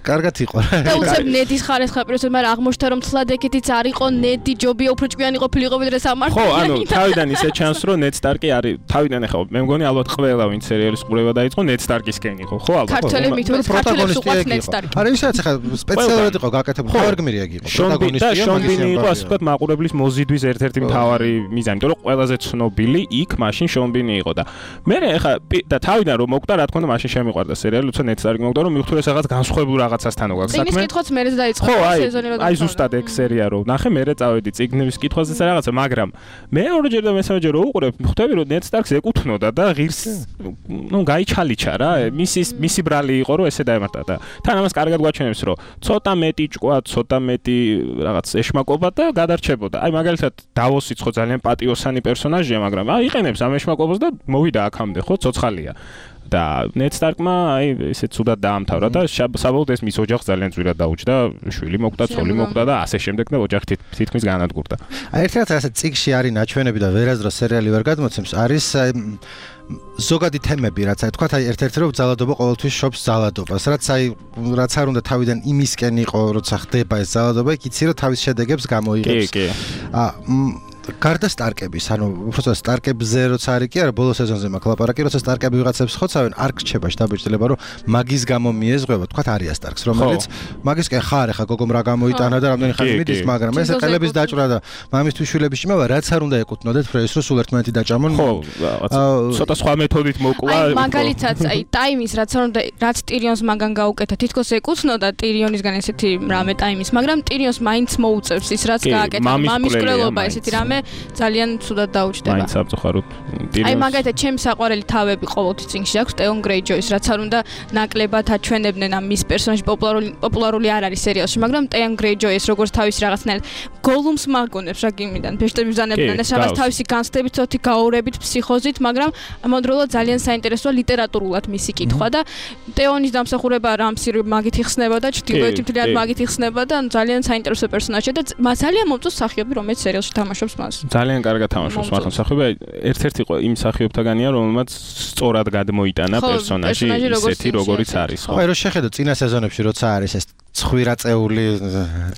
კარგად იყო რა და უცებ ნედის ხარესხა პიროსად მაგრამ აღმოჩნდა რომ თლად ეგეთიც არ იყო ნედი ჯობია უფრო ჭკვიანი ყოფილიყო ვიდრე სამართლიანი ხო ანუ თავიდან ისე ჩანს რომ Ned Stark-ი არის თავიდან ახლა მე მგონი ალბათ ყველა ვინც სერიალის ყურება დაიწყო Ned Stark-ისკენ იყო ხო ალბათ ქართველები მithores ქართველებს უყვართ Ned Stark-ი არა ისე ახლა სპეციალურად იყო გაკეთებული ხარგმირი აქ იყო პროტაგონისტია და შონ ბინი იყო ასე ვთქვათ მაყურებლის მოზიდვის ერთ-ერთი მთავარი მიზანი იმიტომ რომ ყველაზე ცნობილი იქ მაშინ შონ ბინი იყო და მე ახლა და თავიდან რომ მოკვდა რა თქმა უნდა მაშინ შემიყვარდა სერიალი როცა Ned Stark-ი მოკვდა რომ მივხვდი ეს რაღაც განსხვავებულ რაღაცასთან გვაქვს საქმე. წიგნის კითხვაც მერეც დაიწყო სეზონი რო. აი ზუსტად ეგ სერია რო ნახე, მერე წავედი წიგნის კითხვაზე რაღაცა, მაგრამ მეორეჯერ და მესამეჯერ რო უყურებ, ხვდები რომ Ned Stark-ს ეკუთვნოდა და ღირს ნუ გაიჩალიჩა რა, მისი მისი ბრალი იყო რომ ესე დაემართა და თან ამას კარგად გვაჩვენებს რომ ცოტა მეტი ჭკვა, ცოტა მეტი რაღაც ეშმაკობა და გადარჩებოდა. აი მაგალითად დავოსიც ხო ძალიან პატიოსანი პერსონაჟია, მაგრამ აი იყენებს ამ ეშმაკობას და მოვიდა აქამდე ხო, ცოცხალია. და Ned Stark-მა აი ესე ცუდად დაამთავრა და საბოლოოდ ეს მის ოჯახს ძალიან ძვირად დაუჭდა, შვილი მოკვდა, ცოლი მოკვდა და ასე შემდეგ და ოჯახი თითქმის განადგურდა. აი ერთ რაღაც ასე წიგში არის ნაჩვენები და ვერასდროს სერიალი ვერ გადმოცემს, არის ზოგადი თემები, რაც აი თქვა, აი ერთ-ერთი რომ ძალადობა ყოველთვის შობს ძალადობას, რაც აი რაც არ უნდა თავიდან იმისკენ იყო, როცა ხდება ეს ძალადობა, იქ იცი რომ თავის შედეგებს გამოიღებს. კი, კი. აა გარდა სტარკების, ანუ უბრალოდ სტარკებზე როცა არის კი არა, ბოლო სეზონზე მაქვს ლაპარაკი, როცა სტარკები ვიღაცებს ხოცავენ, არ გრჩება შტაბეჭდილება, რომ მაგის გამო მიეზღვება, თქვა არია სტარკს, რომელიც მაგისკენ ხარ ახლა გოგომ რა გამოიტანა და რამდენი ხანი მიდის, მაგრამ ეს ყელების დაჭრა და მამისთვის შვილების იმავა, რაც არ უნდა ეკუთვნოდეთ ფრეის, რომ სულ ერთმანეთი დაჭამონ. ხო, ცოტა სხვა მეთოდით მოკლა. აი მაგალითად, აი ტაიმის რაც არ უნდა, რაც ტირიონს მაგან გაუკეთა, თითქოს ეკუთვნოდა ტირიონისგან ესეთი რამე ტაიმის, მაგრამ ტირიონს მაინც მოუწევს ის რაც გააკეთა, მამის კვლელობა ესეთი რამე ძალიან ცუდად დაუჭდება. მაინც აბწუხაროთ ტირიონს. აი მაგალითად ჩემი საყვარელი თავები ყოველთვის წინში აქვს ტეონ გრეიჯოის, რაც არ უნდა ნაკლებად აჩვენებდნენ ამ მის პერსონაჟი პოპულარული პოპულარული არ არის სერიალში, მაგრამ ტეონ გრეიჯოის როგორც თავის რაღაცნაირად გოლუმს მაგონებს რა გიმიდან, ბეშტები ბზანებდნენ ეს რაღაც თავისი განცდებით, ცოტი გაურებით, ფსიქოზით, მაგრამ ამავდროულად ძალიან საინტერესოა ლიტერატურულად მისი კითხვა და ტეონის დამსახურება რამსი მაგით იხსნება და ჩრდილოეთი მთლიანად მაგით იხსნება და ძალიან საინტერესო პერსონაჟია და ძალიან მომწონს მსახიობი, რომელიც სერიალში თამაშობს მას. ძალიან კარგად თამაშობს მართლა მსახიობი, ერთ-ერთი იყო იმ მსახიობთაგანია, რომელმაც სწორად გადმოიტანა პერსონაჟი ისეთი, როგორიც არის, ხო? აი, რო შეხედო წინა სეზონებში, როცა არის ეს ცხვირაწეული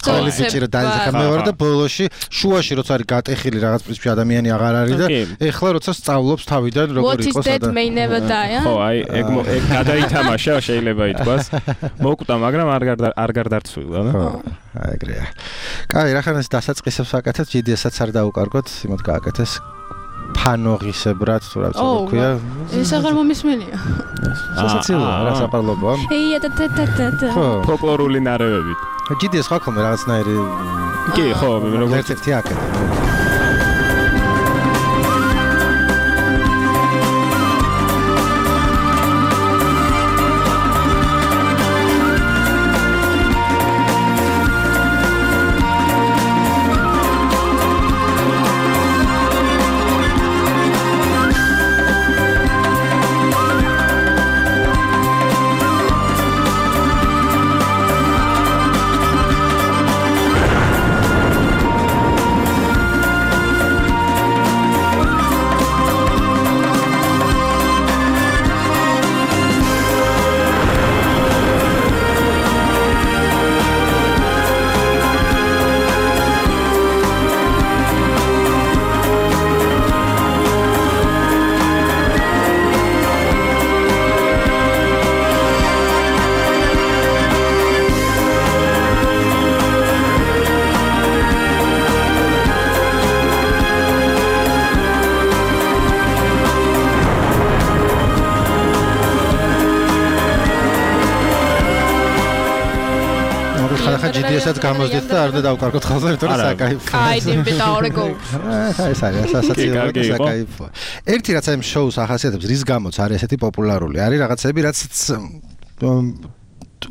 ყველი ბიჭი რა დაიძახა მე ვარ და ბოლოში შუაში როცა არის გატეხილი რაღაც პრინციპი ადამიანი აღარ არის და ეხლა როცა სწავლობს თავიდან როგორ იყოს და ხო აი ეგ ეგ გადაითამაშა შეიძლება ითქვას მოკვდა მაგრამ არ არ გარდარცვილა და ხო ეგრეა. კაი რახანას დასაწყისებს ვაკეთებ ჯი დი ესაც არ დაუკარგოთ იმათ გააკეთეს ფანოღისებრად თუ რა ქვია ეს აღარ მომისმენია სასაცილოა რა საპარლობაა ეია და და და და ფოლკლორული ნარევებით ჯი დი ეს ხო ხომ რაღაცნაირი კი ხო მე როგორც ერთ-ერთი აკეთე ესაც გამოსდით და არ უნდა დავკარგოთ ხოლმე, იმიტომ რომ საკაიფო. აი, დიმბიტა ორეგო. აი, ეს არის სასაცილო და საკაიფო. ერთი რაც ამ შოუს ახასიათებს, რის გამოც არის ესეთი პოპულარული, არის რაღაცები, რაც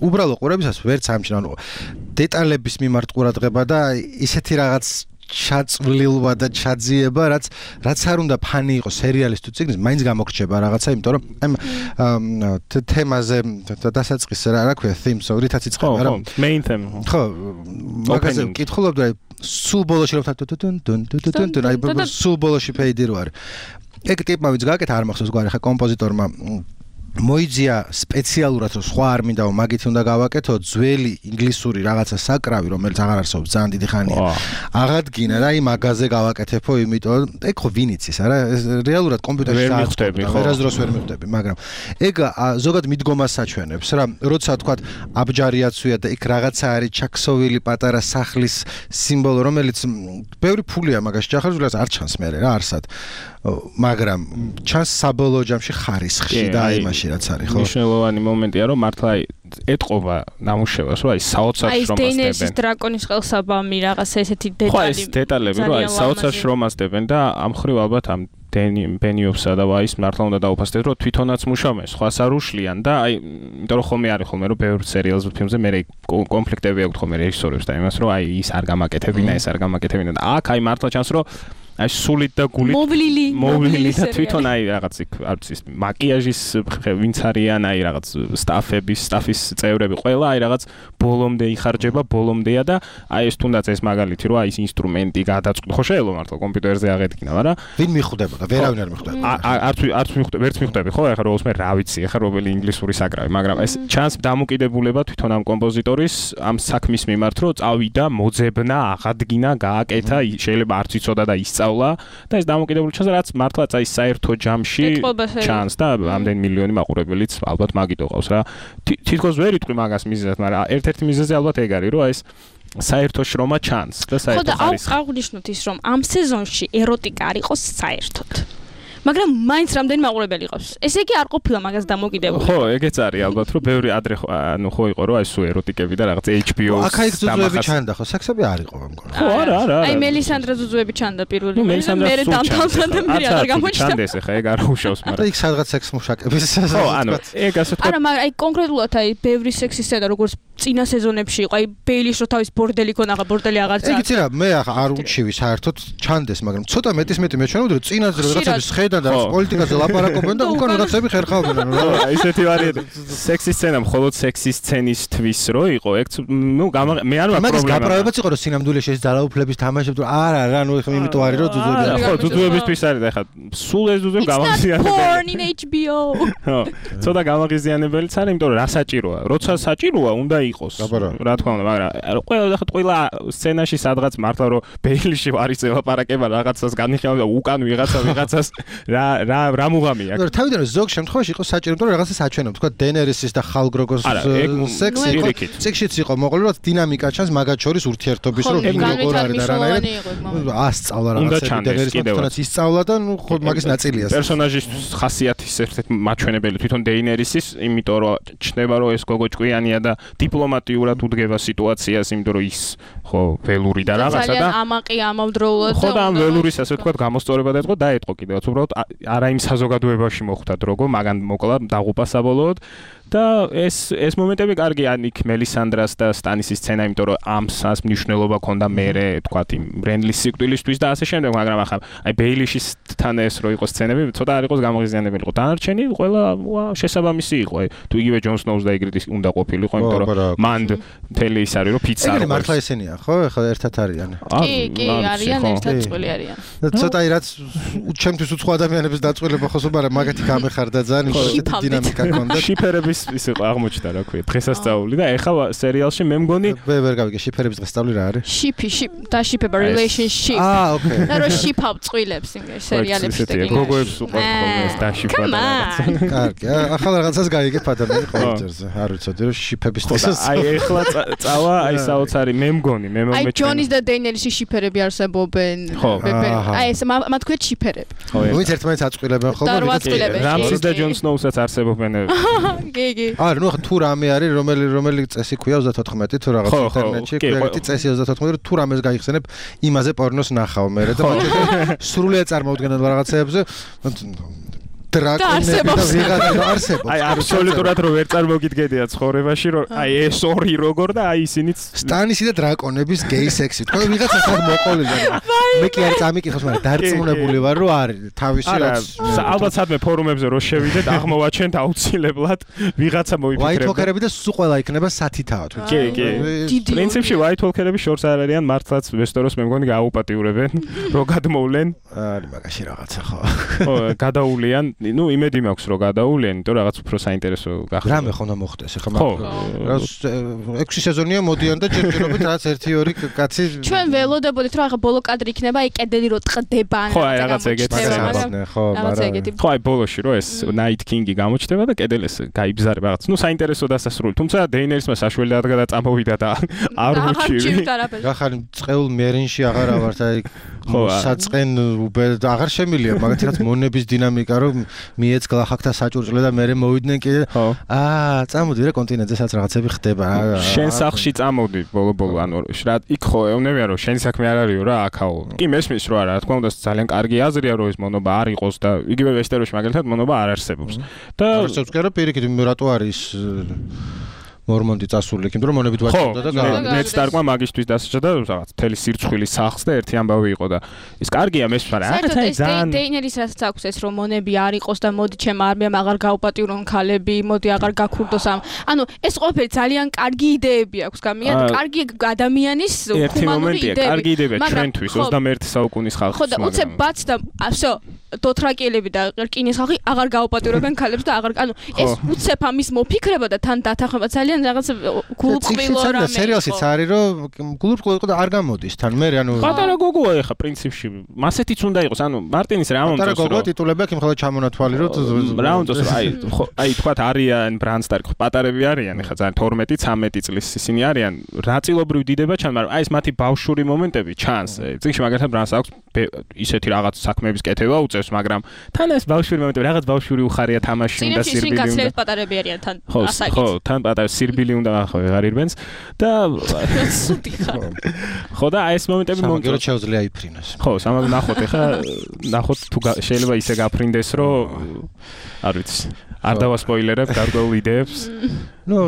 უბრალო ყურებისას ვერც ამჩნევ, ანუ დეტალების მიმართ ყურადღება და ისეთი რაღაც ჩაწვლილვა და ჩაძიება, რაც რაც არ უნდა ფანი იყოს სერიალის თუ წიგნის, მაინც გამოგრჩება რაღაცა, იმიტომ რომ ამ თემაზე დასაწყისს რა რა ქვია, theme song რითაც იწყება რა. ხო, main theme. ხო, მაგაზე ვკითხულობ და სულ ბოლოში რომ თუნ თუნ თუნ თუნ აი სულ ბოლოში ფეიდი რო არის. ეგ ტიპმა ვიც გააკეთა არ მახსოვს გვარი ხა კომპოზიტორმა მოიძია სპეციალურად რომ სხვა არ მინდა რომ მაგით უნდა გავაკეთო ძველი ინგლისური რაღაცა საკრავი რომელიც აღარ არსებობს ძალიან დიდი ხანია აღადგინა და იმ მაგაზე გავაკეთებო იმიტომ ეგ ხო ვინ იცის არა რეალურად კომპიუტერში დააწყდები ხო ვერასდროს ვერ მივხვდები მაგრამ ეგ ზოგადად მიდგომას საჩვენებს რა როცა თქვა აბჯარიაცვია და იქ რაღაცა არის ჩაქსოვილი პატარა სახლის სიმბოლო რომელიც ბევრი ფულია მაგაში ჩახარჯულას არ ჩანს მე რა არსად მაგრამ ჩანს საბოლოო ჯამში ხარისხში და აი მაშინ რაც არის ხო მნიშვნელოვანი მომენტია რომ მართლა ეტყობა ნამუშევარს, რომ აი საოცარ შრომას დებენ. აი დეინერის დრაკონის ყელსაბამი რაღაცა ესეთი დეტალი. ხო, ეს დეტალები, რომ აი საოცარ შრომას დებენ და ამ ხრივ ალბათ ამ ბენიოფსა და ვაის მართლა უნდა დაუფასდეთ, რომ თვითონაც მუშაობენ, სხვას არ უშლიან და აი, იმიტომ რომ ხომე არის ხოლმე, რომ ბევრ სერიალს ფილმზე მე კონფლიქტები აქვს ხოლმე რეჟისორებს და იმას, რომ აი ის არ გამაკეთებინა, ეს არ გამაკეთებინა და აქ აი მართლა ჩანს, რომ აი სულით და გულით მოვლილი მოვლილი და თვითონ აი რაღაც იქ არც ის მაკიაჟის ვინც არიან აი რაღაც სტაფების სტაფის წევრები ყველა აი რაღაც ბოლომდე იხარჯება ბოლომდეა და აი ეს თუნდაც ეს მაგალითი რომ აი ეს ინსტრუმენტი გადაწყვეტ ხო შეიძლება მართლა კომპიუტერზე აღედგინა მაგრამ ვინ მიხვდებოდა ვერავინ არ მიხვდებოდა არც არც მიხვდები ვერც მიხვდები ხო ეხლა რომ უსმე რა ვიცი ეხლა რომელი ინგლისური საკრავი მაგრამ ეს ჩანს დამოკიდებულება თვითონ ამ კომპოზიტორის ამ საქმის მიმართ რომ წავიდა მოძებნა აღადგინა გააკეთა შეიძლება არც იცოდა და ის და ეს დამოკიდებული ჩანს რაც მართლაც აი საერთო ჯამში ჩანს და ამდენ მილიონი მაყურებელიც ალბათ მაგით ოყავს რა თითქოს ვერ იტყვი მაგას მიზეზად მაგრამ ერთ-ერთი მიზეზი ალბათ ეგ არის რომ აი ეს საერთო შრომა ჩანს და საერთო არის ხო და აღნიშნოთ ის რომ ამ სეზონში ეროტიკა არ იყოს საერთოდ მაგრამ მაინც რამდენი მაყურებელი ყავს. ესე იგი არ ყოფილა მაგას დამოკიდებული. ხო, ეგეც არის ალბათ, რომ ბევრი ადრე ანუ ხო იყო რომ აი სულ ეროტიკები და რაღაც H B O-ს აქ ზუზუები ჩანდა ხო, სექსები არ იყო ამ გქონდა. ხო, არა, არა. აი მელისანდრა ზუზუები ჩანდა პირველი. მე დამთავრდა და მე არ გამოჩნდა. ჩანდეს ახლა ეგ არ უშავს, მაგრამ. და იქ სადღაც სექს მუშაკების. ხო, ანუ ეგ ასე თქვა. არა, მაგრამ აი კონკრეტულად აი ბევრი სექსის სცენა როგორც წინა სეზონებში იყო, აი ბეილის რო თავის ბორდელი ქონა, ახლა ბორდელი აღარ წააგ. ეგ იცი რა, მე ახლა არ უჩივი საერთოდ ჩანდეს, მაგრამ ცოტა მეტის მეტი მეჩვენებდი რომ წინაზე რაღაცები შეხედან და პოლიტიკაზე ლაპარაკობენ და უკან რაღაცები ხერხავდნენ რა. ისეთი ვარიანტი. სექსის სცენა მხოლოდ სექსის სცენისთვის რო იყო, ეგ ნუ მე არ მაქვს პრობლემა. მაგის გაправებაც იყო რომ სინამდვილეში ეს ძალაუფლების თამაშები თუ არა რა, ნუ ეხლა იმიტომ არის რომ ზუზუები. ხო, ზუზუებისთვის არის და ეხლა სულ ეს ზუზუები გამაღიზიანებელი. Porn in H B O. ხო, ცოტა გამაღიზიანებელიც არის, იმიტომ რომ რა საჭიროა? როცა საჭიროა, უნდა იყოს. რა თქმა უნდა, მაგრამ ყველა ახლა ყველა სცენაში სადღაც მართლა რომ ბეილიში არის ლაპარაკება რაღაცას განიხილავდა უკან ვიღაცა ვიღაცას რა რა რა მუღამი აქვს. ნუ თავიდან ზოგ შემთხვევაში იყო საჭირო, რომ რაღაცას აჩვენებს, თქვა დენერისის და ხალგროგოს სექსი იყო. სექსიც იყო მოყოლი, რომ დინამიკა ჩანს მაგათ შორის ურთიერთობის, რომ ვინ როგორ არის და რანაირად ასწავლა რაღაცები დენერისმა თვითონაც ისწავლა და ნუ ხო მაგის ნაწილია. პერსონაჟის ხასიათის ერთ-ერთი მაჩვენებელი თვითონ დეინერისის, იმიტომ რომ ჩნდება რომ ეს გოგო ჭკვიანია და დიპლომატიურად უდგება სიტუაციას, იმიტომ რომ ის ხო ველური და რაღაცა და ძალიან ამაყი ამავდროულად ხო და ამ ველურის ასე ვთქვათ გამოსწორება დაიწყო დაეთყო კიდევაც უბრალოდ არა იმ საზოგადოებაში მოხვდა დროგო მაგან მოკლა დაღუპა საბოლოოდ და ეს ეს მომენტები კარგი ან იქ მელისანდრას და სტანისის სცენა იმიტომ რომ ამ სას მნიშვნელობა ქონდა მერე ვთქვათ იმ ბრენდლის სიკვდილისთვის და ასე შემდეგ მაგრამ ახლა აი ბეილიშის თან ეს რო იყოს სცენები ცოტა არ იყოს გამაღიზიანებელი იყო დანარჩენი ყველა შესაბამისი იყო აი თუ იგივე ჯონ სნოუს და იგრიდის უნდა ყოფილიყო იმიტომ რომ მანდ მთელი ის არის რომ ფიცა არის მართლა ესენია ხო ეხლა ერთად არიან კი კი არიან ერთად წყვილი არიან და ცოტა რაც ჩემთვის უცხო ადამიანების დაწყვილება ხო მაგრამ მაგათი გამეხარდა ძალიან ისეთი დინამიკა ქონდა შიფერების ის იყო აღმოჩნდა რა ქვია დღესასწაული და ეხლა სერიალში მე მგონი მე ვერ გავიგე შიფერების დღესასწაული რა არის შიფი შიფ და შიფება relationship აა ოკეი და რო შიფავ წვილებს იმერ სერიალებში და გოგოებს უყვართ ხოლმე ეს და შიფა და რაღაცა კარგი ახლა რაღაცას გაიგებ ადამიანი ყოველჯერზე არ ვიცოდი რომ შიფების დღესასწაული აი ეხლა წავა აი საოცარი მე მგონი მე მომეჩვენა აი ჯონის და დეინერის შიფერები არსებობენ აი ეს მათ ქვია შიფერები ვინც ერთმანეთს აწყვილებენ ხოლმე რამსის და ჯონ სნოუსაც არსებობენ კი კი არა ნუ თუ რამე არის რომელი რომელი წესი ქვია ოცდათოთხმეტი თუ რაღაც ინტერნეტში ქვია წესი ოცდათოთხმეტი თუ რამეს გაიხსენებ იმაზე პორნოს ნახავ მე და მაგალითად სრულიად წარმოუდგენელ რაღაცეებზე დრაკონები და ვიღაცა არსებობს. აი აბსოლუტურად რო ვერ წარმოგიდგენია ცხოვრებაში რომ აი ეს ორი როგორ და აი ისინიც სტანისი და დრაკონების გეი სექსი. თქვენ ვიღაცა ხარ მოყოლილი. მე კი არ წამიკითხოს, მაგრამ დარწმუნებული ვარ რომ არის თავისი რაც ალბათ სადმე ფორუმებზე რო შევიდეთ აღმოვაჩენთ აუცილებლად ვიღაცა მოიფიქრებდა. ვაითვოლკერები და სულ ყველა იქნება სათითაო თუ. კი კი. პრინციპში ვაითვოლკერები შორს არ არიან მართლაც ვესტოროს მე მგონი გააუპატიურებენ რო გადმოვლენ. არის მაგაში რაღაცა ხო. ხო გადაულიან ну იმედი მაქვს რომ გადაულიან, იმიტომ რაღაც უფრო საინტერესო გახდა. რამე ხონდა მოხდეს, ახლა მაგ ექვსი სეზონია მოდიან და ჯერჯერობით რაღაც ერთი ორი კაცი ჩვენ ველოდებოდით რომ ახლა ბოლო კადრი იქნება, აი კედელი რო ტყდება ან რაღაც ეგეთი ხო, მაგრამ ხო აი ბოლოში რომ ეს Night King-ი გამოჩნდება და კედელი ეს გაიბზარება რაღაც. ну საინტერესო დასასრული. თუმცა დეინერისმა საშუალება გადაწამოვიდა და არ უჩივი. ახალი წყეულ მერინში აღარა ვართ აი საწყენ უბედ აღარ შემილია მაგათი რაც მონების დინამიკა რომ მიეცგლა ხაკთა საჭურჭლე და მე მოვიდნენ კიდე აა წამოდი რა კონტინენტზე სადაც რაღაცები ხდება შენ სახლში წამოდი ბოლო-ბოლო ანუ რა იქ ხო ეუნებიან რომ შენ საქმე არ არისო რა აქაო კი მესმის რომ არა რა თქმა უნდა ძალიან კარგი აზრია რომ ეს მონობა არ იყოს და იგივე ვესტეროში მაგალითად მონობა არ არსებობს და არსებობს კი რა პირიქით რატო არის მორმონდი წასული იქ, იმიტომ რომ მონებით ვაჭრობდა და მეც დარგმა მაგისტვის დასაჭრა და რაღაც მთელი სირცხვილი სახლს და ერთი ამბავი იყო და ის კარგია მესმის, მაგრამ რაღაც აი ძალიან დეინერის რასაც აქვს ეს რომ მონები არ იყოს და მოდი ჩემ არმიამ აღარ გაუპატიურონ ქალები, მოდი აღარ გაქურდოს ამ. ანუ ეს ყველაფერი ძალიან კარგი იდეები აქვს გამიან, კარგი ადამიანის ჰუმანური იდეები. კარგი იდეებია ჩვენთვის ოცდამეერთე საუკუნის ხალხს. ხო და უცებ ბაც და всё დოთრაკიელები და რკინის ხალხი აღარ გაუპატიურებენ ქალებს და აღარ ანუ ეს უცებ ამის მოფიქრება და თან დათანხმება ძალიან რაღაც გულუბრყვილო რამე. სერიალშიც არის რომ გულუბრყვილო იყო და არ გამოდის თან მე ანუ პატარა გოგოა ეხა პრინციპში მასეთიც უნდა იყოს ანუ მარტინის რა მომწონს პატარა გოგოა ტიტულები აქვს იმხელა ჩამონათვალი რომ რა მომწონს აი აი თქვა არიან ბრანდსტარი პატარები არიან ეხა ძალიან თორმეტი ცამეტი წლის ისინი არიან რაწილობრივ დიდება ჩან მაგრამ აი ეს მათი ბავშვური მომენტები ჩანს წიგში მაგალითად ბრანდს აქვს ისეთი რაღაც საქმეების კეთება უწევს მაგრამ თან ეს ბავშვური მომენტები რაღაც ბავშვური უხარია თამაში და სირბილი უნდა სინკაცლებს პატარები არიან თან ასაკით ხო თან პატარა სირბილი უნდა ხო აღარ ირბენს და სუდი ხარ ხო და აი ეს მომენტები მომწონს შეუძლია იფრინოს ხო სამაგ ნახოთ ეხა ნახოთ თუ შეიძლება ისე გაფრინდეს რომ არ ვიცი არ დავასპოილერებ გარკვეულ იდეებს ნუ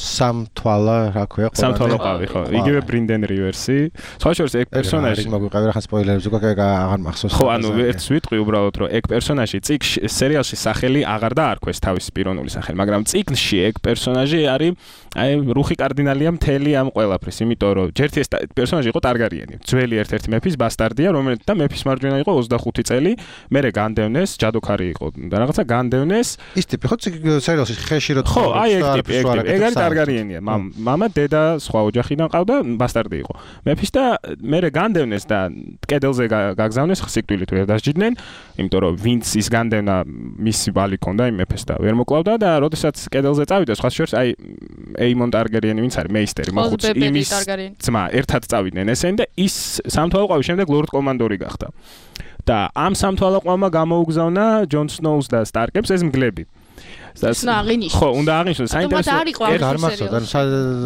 სამთვალა რა ქვია ყველა სამთვალა ყავი ხო იგივე ბრინდენ რივერსი სხვა შორის ეგ პერსონაჟი მოგვიყევი რა ხან სპოილერებს უკვე აღარ მახსოვს ხო ანუ ერთს ვიტყვი უბრალოდ რომ ეგ პერსონაჟი წიგნში სერიალში სახელი აღარ დაარქვეს თავის პიროვნული სახელი მაგრამ წიგნში ეგ პერსონაჟი არის აი რუხი კარდინალია მთელი ამ ყველაფრის იმიტომ რომ ჯერთ ეს პერსონაჟი იყო ტარგარიენი ძველი ერთ-ერთი მეფის ბასტარდია რომელიც და მეფის მარჯვენა იყო ოცდახუთი წელი მერე განდევნეს ჯადოქარი იყო და რაღაცა განდევნეს ის ტიპი ხო სერიალში ხეში რო ხო აი ეგ ტიპი ეგ ტიპი ეგ არის ტარგარიენია მამა დედა სხვა ოჯახიდან ყავდა ბასტარდი იყო მეფის და მერე განდევნეს და კედელზე გაგზავნეს სიკვდილით ვერ დასჯიდნენ იმიტომ რომ ვინც ის განდევნა მისი ბალი ქონდა იმ მეფეს და ვერ მოკლავდა და როდესაც კედელზე წავიდა სხვა შორის აი ეიმონ ტარგერიენი ვინც არის მეისტერი მოხუცი იმის ძმა ერთად წავიდნენ ესენი და ის სამთვალყავი შემდეგ ლორდ კომანდორი გახდა და ამ სამთვალყავმა გამოუგზავნა ჯონ სნოუს და სტარკებს ეს მგლები და აღინიშნოს. ხო, უნდა აღინიშნოს. საინტერესო. გარმახსოვდა.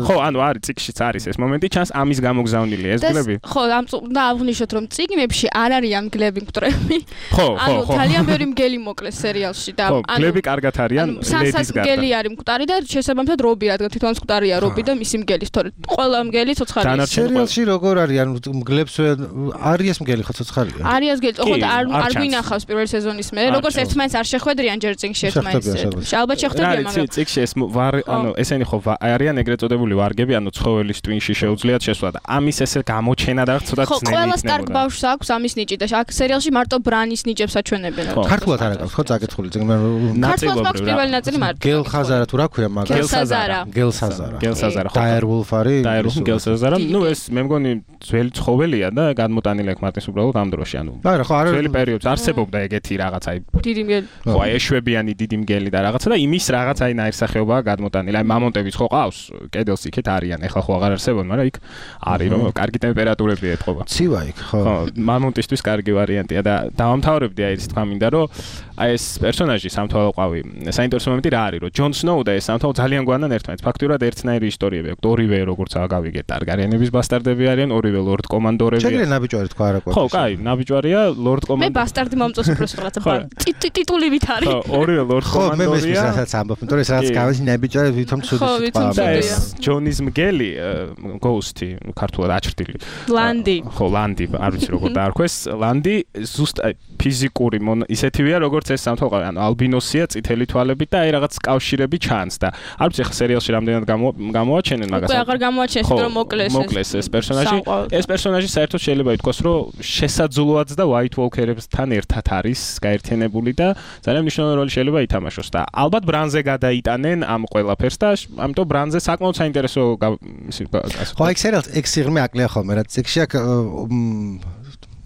ხო, ანუ არის წიგშიც არის ეს მომენტი, ჩანს ამის გამოგზავნილი ეს გლები. ხო, ამ უნდა აღნიშნოთ რომ წიგნებში არ არის ამ გლები მკვრები. ხო, ხო, ხო. ანუ ძალიან ბევრი მგელი მოკლეს სერიალში და ანუ გლები კარგად არიან ლედის გარდა. მგელი არის მკვდარი და შესაბამისად რობი, რადგან თვითონ მკვდარია რობი და მისი მგელი, თორე ყველა მგელი ცოცხალია. სერიალში როგორ არის? ანუ მგლებს არის მგელი ხო ცოცხალია? არის მგელი, ხო და არ არ გვინახავს პირველი სეზონის მე, როგორც ერთმანეთს არ შეხვედრიან ჯერ წიგნში ერთმანეთს. ალბათ შეხვდებიან მაგრამ წიგში ეს ანუ ესენი ხო არიან ეგრეთ წოდებული ვარგები ანუ ცხოველის ტვინში შეუძლიათ შესვლა და ამის ესე გამოჩენა და ცოტა ძნელი ხო ყველა სტარკ ბავშვს აქვს ამის ნიჭი და აქ სერიალში მარტო ბრანის ნიჭებს აჩვენებენ ქართულად არ აქვს ხო წაკითხული წიგნი ნაწილობრივ პირველი ნაწილი მარტო გელხაზარა თუ რა ქვია მაგას გელსაზარა გელსაზარა გელსაზარა ხო დაერვულფ არის დაერვულფ გელსაზარა ნუ ეს მე მგონი ძველი ცხოველია და გადმოტანილი აქვს მარტის უბრალოდ ამ დროში ანუ არა ხო არა ძველი პერიოდს არსებობდა ეგეთი რაღაცა დიდი მგელი ხო აი ეშვებიანი დიდი მგელი და რაღაცა და იმის რაღაც აი ნაირსახეობაა გადმოტანილი. აი მამონტებიც ხო ყავს, კედელს იქეთ არიან. ეხლა ხო აღარ არსებობენ, მაგრამ იქ არის რომ კარგი ტემპერატურები ეთყობა. ცივა იქ ხო. ხო, მამონტისთვის კარგი ვარიანტია და დავამთავრებდი აი ეს თქვა მინდა რომ აი ეს პერსონაჟი სამთვალყავი საინტერესო მომენტი რა არის რომ ჯონ სნოუ და ეს სამთვალ ძალიან გვანან ერთმანეთს. ფაქტურად ერთნაირი ისტორიები აქვს. ორივე როგორც გავიგეთ ტარგარიენების ბასტარდები არიან, ორივე ლორდ კომანდორები. შეგიძლია ნაბიჯვარი თქვა არა ყოფილი. ხო, კაი, ნაბიჯვარია ლორდ კომანდორი. მე ბასტარდი მომწონს უფრო რაღაცა ტიტულივით არის. ხო, ორივე ლორდ კომანდორია. ხო, მე მეც ამბობ, იმიტომ რომ ეს რაც გავიცი ნაბიჯვარი ვითომ ცუდი და ეს ჯონის მგელი გოუსტი ქართულად აჩრდილი. ლანდი. ხო, ლანდი, არ ვიცი როგორ დაარქვეს. ლანდი ზუსტ ფიზიკური ისეთივეა როგორც ეს სამთვალყავი, ანუ ალბინოსია, წითელი თვალებით და აი რაღაც კავშირები ჩანს და არ ვიცი ხა სერიალში რამდენად გამოაჩენენ მაგას. უკვე აღარ გამოაჩენს, რომ მოკლეს ეს. მოკლეს ეს პერსონაჟი. ეს პერსონაჟი საერთოდ შეიძლება ითქვას, რომ შესაძლოაც და White Walker-ებთან ერთად არის გაერთიანებული და ძალიან მნიშვნელოვანი როლი შეიძლება ითამაშოს და ალბათ ბრანზე გადაიტანენ ამ ყველაფერს და ამიტომ ბრანზე საკმაოდ საინტერესო ხო, ეგ სერიალს ეგ სიღრმე აკლია ხოლმე, რაც წიგში აქ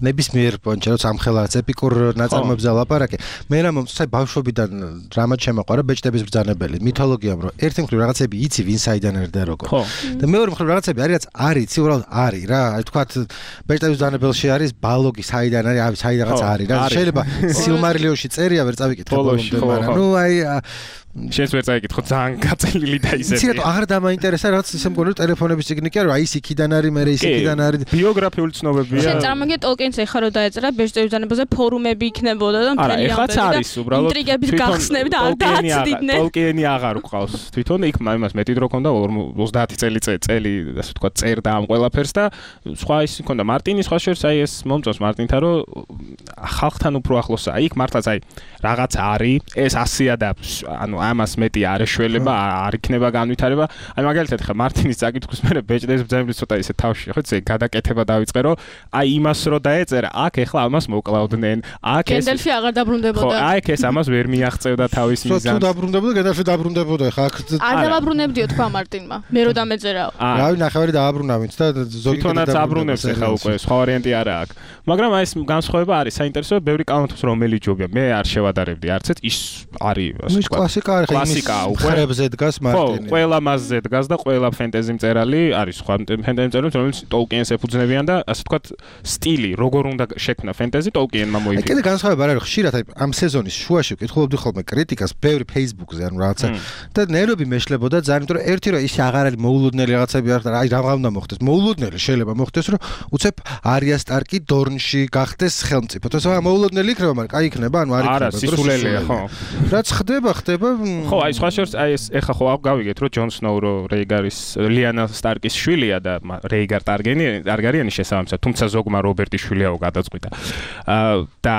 ნებისმიერ პონჩა როცა ამხელა ეპიკურ ნაწარმოებზე ლაპარაკი მე რა მომწონს აი ბავშვობიდან რამაც შემოყვარა ბეჭდების ბრძანებელი მითოლოგიამ რომ ერთი მხრივ რაღაცები იცი ვინ საიდან ერთა როგორ და მეორე მხრივ რაღაცები არის რაც არ იცი უბრალოდ არის რა აი თქვათ ბეჭდების ბრძანებელში არის ბალოგი საიდან არის აი საიდანაც არის რა შეიძლება სილმარილიონში წერია ვერ წავიკითხე ბოლომდე მაგრამ ნუ აი შენს ვერ წაიკითხო ძალიან გაწელილი და ისეთი. იცი რა აღარ დამაინტერესა რაც ისე მგონი ტელეფონების ციგნი კი არა აი ის იქიდან არის მე ის იქიდან არის ბიოგრაფიული ცნობებია. შენ წარმოგე ტოლკინს ეხა რო დაეწერა ბეჭდების ბრძანებაზე ფორუმები იქნებოდა და მთელი ეხაც არის უბრალოდ ინტრიგების გახსნები და არ დააცდიდნენ. ტოლკინი აღარ უყავს. თვითონ იქ იმას მეტი დრო ქონდა ოცდაათი წელი წელი ასე ვთქვა წერდა ამ ყველაფერს და სხვა ის ქონდა მარტინი სხვა შორს აი ეს მომწონს მარტინთან რომ ხალხთან უფრო ახლოსაა. იქ მართლაც აი რაღაც არის ეს ასია და ანუ ამას მეტი არ ეშველება, არ იქნება განვითარება. აი მაგალითად ხა მარტინის წაკითხვის მერე ბეჭდების ბრძანებლის ცოტა ისე თავში ხო იცი გადაკეთება დავიწყე რომ აი იმას რო დაეწერა, აქ ეხლა ამას მოკლავდნენ. აქ ეს გენდალფი აღარ დაბრუნდებოდა. ხო, აი ეს ამას ვერ მიაღწევდა თავის მიზანს. თუ დაბრუნდებოდა, გენდალფი დაბრუნდებოდა ხა აქ არ დავაბრუნებდიო თქვა მარტინმა. მე რო დამეწერაო. რავი ნახევარი დააბრუნავით და ზოგი თვითონაც აბრუნებს ეხლა უკვე სხვა ვარიანტი არა აქვს. მაგრამ აი ეს განსხვავება არის საინტერესოა, ბევრი კანონთოს რომელი ჯობია. მე არ შევადარებდი არც ერთ ის არის ასე ვთქვა. კლასიკა არის კლასიკა უკვე ხრებზე დგას მარტინი. ხო, ყველა მასზე დგას და ყველა ფენტეზი მწერალი არის სხვა ფენტეზი მწერალი, რომელიც ტოლკინს ეფუძნებიან და ასე ვთქვათ სტილი, როგორ უნდა შექმნა ფენტეზი ტოლკინმა მოიფიქრა. კიდე განსხვავება არის ხშირად აი ამ სეზონის შუაში ვკითხულობდი ხოლმე კრიტიკას ბევრი Facebook-ზე ანუ რაღაცა და ნერვები მეშლებოდა ძალიან, იმიტომ რომ ერთი რომ ის აღარ არის მოულოდნელი რაღაცები არ და აი რა უნდა მოხდეს. მოულოდნელი შეიძლება მოხდეს რომ უცებ არია სტარკი დორნში გახდეს ხელმწიფო. თორსა მოულოდნელი იქნება, მაგრამ კაი იქნება, ანუ არ იქნება. არა, სისულელეა, ხო. რაც ხდება, ხდება ხო, აი სხვა შორს აი ეს ეხა ხო გავიგეთ რომ ჯონ სნოუ რო რეიგარის ლიანა სტარკის შვილია და რეიგარ ტარგერიანი შესაბამისად, თუმცა ზოგმა რობერტის შვილიაო გადაწყვიტა. აა და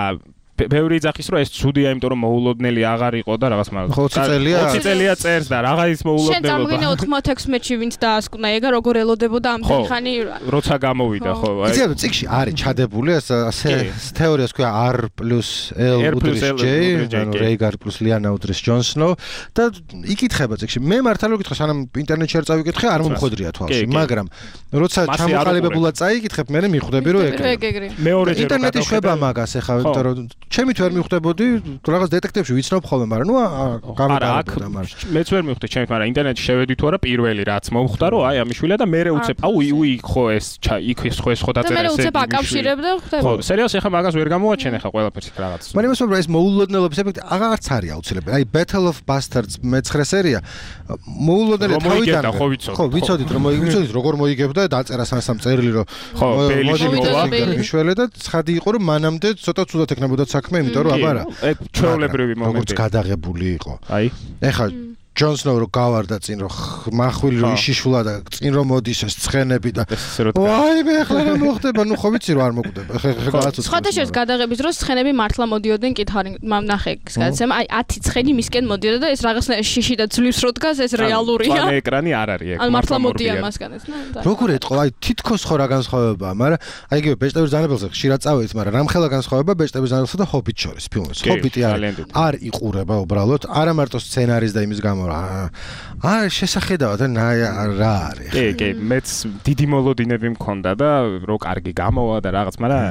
ბევრი ძახის რომ ეს ცუდია, იმიტომ რომ მოულოდნელი აღარ იყო და რაღაც მაგ ოცი წელია ოცი წელია წერს და რაღა ის მოულოდნელობა. შენ წარმოგინე ოთხმოცდაექვსი ვინც დაასკვნა ეგა როგორ ელოდებოდა ამდენი ხანი როცა გამოვიდა ხო აი იცი რა წიგში არის ჩადებული ასე თეორიას ქვია R + L უდრის J ანუ რეიგარ plus ლიანა უდრის ჯონ სნოუ და იკითხება წიგში მე მართლა რომ გითხო სანამ ინტერნეტში არ წავიკითხე არ მომხვედრია თვალში მაგრამ როცა ჩამოყალიბებულად წაიკითხებ მე მიხვდები რომ ეგრე მეორეჯერ ინტერნეტი შვება მაგას ეხა იმიტომ რომ ჩემით ვერ მიხვდებოდი რაღაც დეტექტივებში ვიცნობ ხოლმე, მაგრამ ნუ გამიგარებოდა მაგრამ მეც ვერ მიხვდი ჩემით, მაგრამ ინტერნეტში შევედი თუ არა პირველი რაც მომხვდა რომ აი ამის შვილია და მე უცებ აუ უი ხო ეს იქ ეს ხო ეს ხო დაწერა ესე. და მე უცებ აკავშირებ და ხვდება. ხო, სერიალს ეხა მაგას ვერ გამოაჩენ ეხა ყველაფერს რაღაც. მაგრამ იმას ვამბობ ეს მოულოდნელობის ეფექტი აღარც არის აუცილებელი. აი Battle of Bastards მეცხრე სერია მოულოდნელი თავიდან ხო ვიცოდით რომ ვიცოდით როგორ მოიგებდა დაწერა სამ-სამ წერილი რომ ხო ბელი შემოვა მიშველე და ცხადი იყო რომ მანამდე ცოტა ცუდად ეკნებოდა საქმე, იმიტომ რომ აბარა ეგ ჩვეულებრივი მომენტი როგორც გადაღებული იყო. აი ეხლა ჯონ სნოუ რო გავარდა წინ რომ მახვილი რო იშიშულა და წინ რომ მოდის ეს ცხენები და ვაი მე ახლა რა მოხდება, ნუ ხო ვიცი რომ არ მოკვდება. ხე ხე გააცოცხლე. სხვადასხვა გადაღების დროს ცხენები მართლა მოდიოდნენ კითხარი ნახე გადაცემა აი ათი ცხენი მისკენ მოდიოდა და ეს რაღაცნაირ შიში და ძლივს რო დგას ეს რეალურია. ანუ ეკრანი არ არის ეგ. ანუ მართლა მოდია მასგან ეს ნა. როგორ ეტყო აი თითქოს ხო რა განსხვავებაა, მაგრამ აი იგივე ბეჭდების ბრძანებელზე ხშირად წავედით, მაგრამ რამხელა განსხვავება ბეჭდების ბრძანებელსა და ჰობიტ შორის ფილმებს. ჰობიტი არ იყურება უბრალოდ, არა მარტო სცენარის და იმის გამო აა შესახედავად რა არის. კი, კი, მეც დიდი მოლოდინები მქონდა და რო კარგი გამოვა და რაღაც, მაგრამ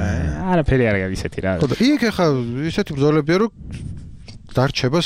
არაფერი არ არის ისეთი რა. ხო და იქ ახლა ისეთი ბრძოლებია რომ დარჩება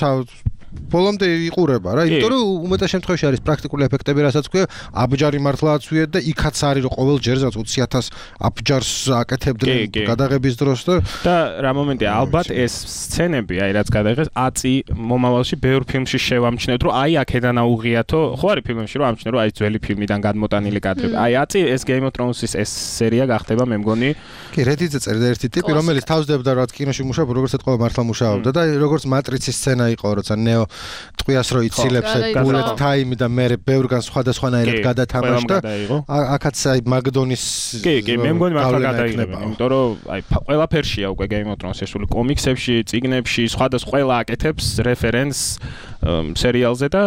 ბოლომდე იყურება რა, იმიტომ რომ უმეტეს შემთხვევაში არის პრაქტიკული ეფექტები, რასაც ქვია, აბჯარი მართლა აცვიეთ და იქაც არის რომ ყოველ ჯერზე ოცი ათას აბჯარს აკეთებდნენ გადაღების დროს და და რა მომენტია, ალბათ ეს სცენები, აი რაც გადაღეს, აწი მომავალში ბევრ ფილმში შევამჩნევთ, რომ აი აქედან აუღიათო, ხო არის ფილმებში რომ ამჩნევ, რომ აი ძველი ფილმიდან გადმოტანილი კადრები. აი აწი ეს Game of Thrones-ის ეს სერია გახდება, მე მგონი. კი, Reddit-ზე წერდა ერთი ტიპი, რომელიც თავსდებდა რაც კინოში მუშაობდა, როგორც ეთქვა მართლა მუშაობდა და როგორც მატრიცის სცენა იყო, როცა ნეო ტყვიას რო იცილებს bullet time და მე ბევრგან სხვადასხვანაირად გადათამაშდა. აქაც აი მაგდონის კი, კი, მე მგონი მართლა გადაიღება, იმიტომ რომ აი ყველაფერშია უკვე Game of Thrones-ის სული კომიქსებში, წიგნებში, სხვადასხვა ყველა აკეთებს რეფერენს სერიალზე და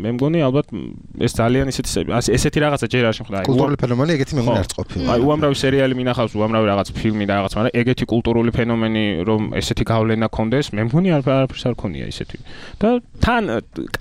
მე მგონი ალბათ ეს ძალიან ისეთი ესეთი რაღაცა ჯერ არ შემხდა. კულტურული ფენომენი ეგეთი მე მგონი არც ყოფილა. აი უამრავი სერიალი მინახავს, უამრავი რაღაც ფილმი და რაღაც, მაგრამ ეგეთი კულტურული ფენომენი რომ ესეთი გავლენა კონდეს, მე მგონი არაფერს არ ქონია ისეთი. და თან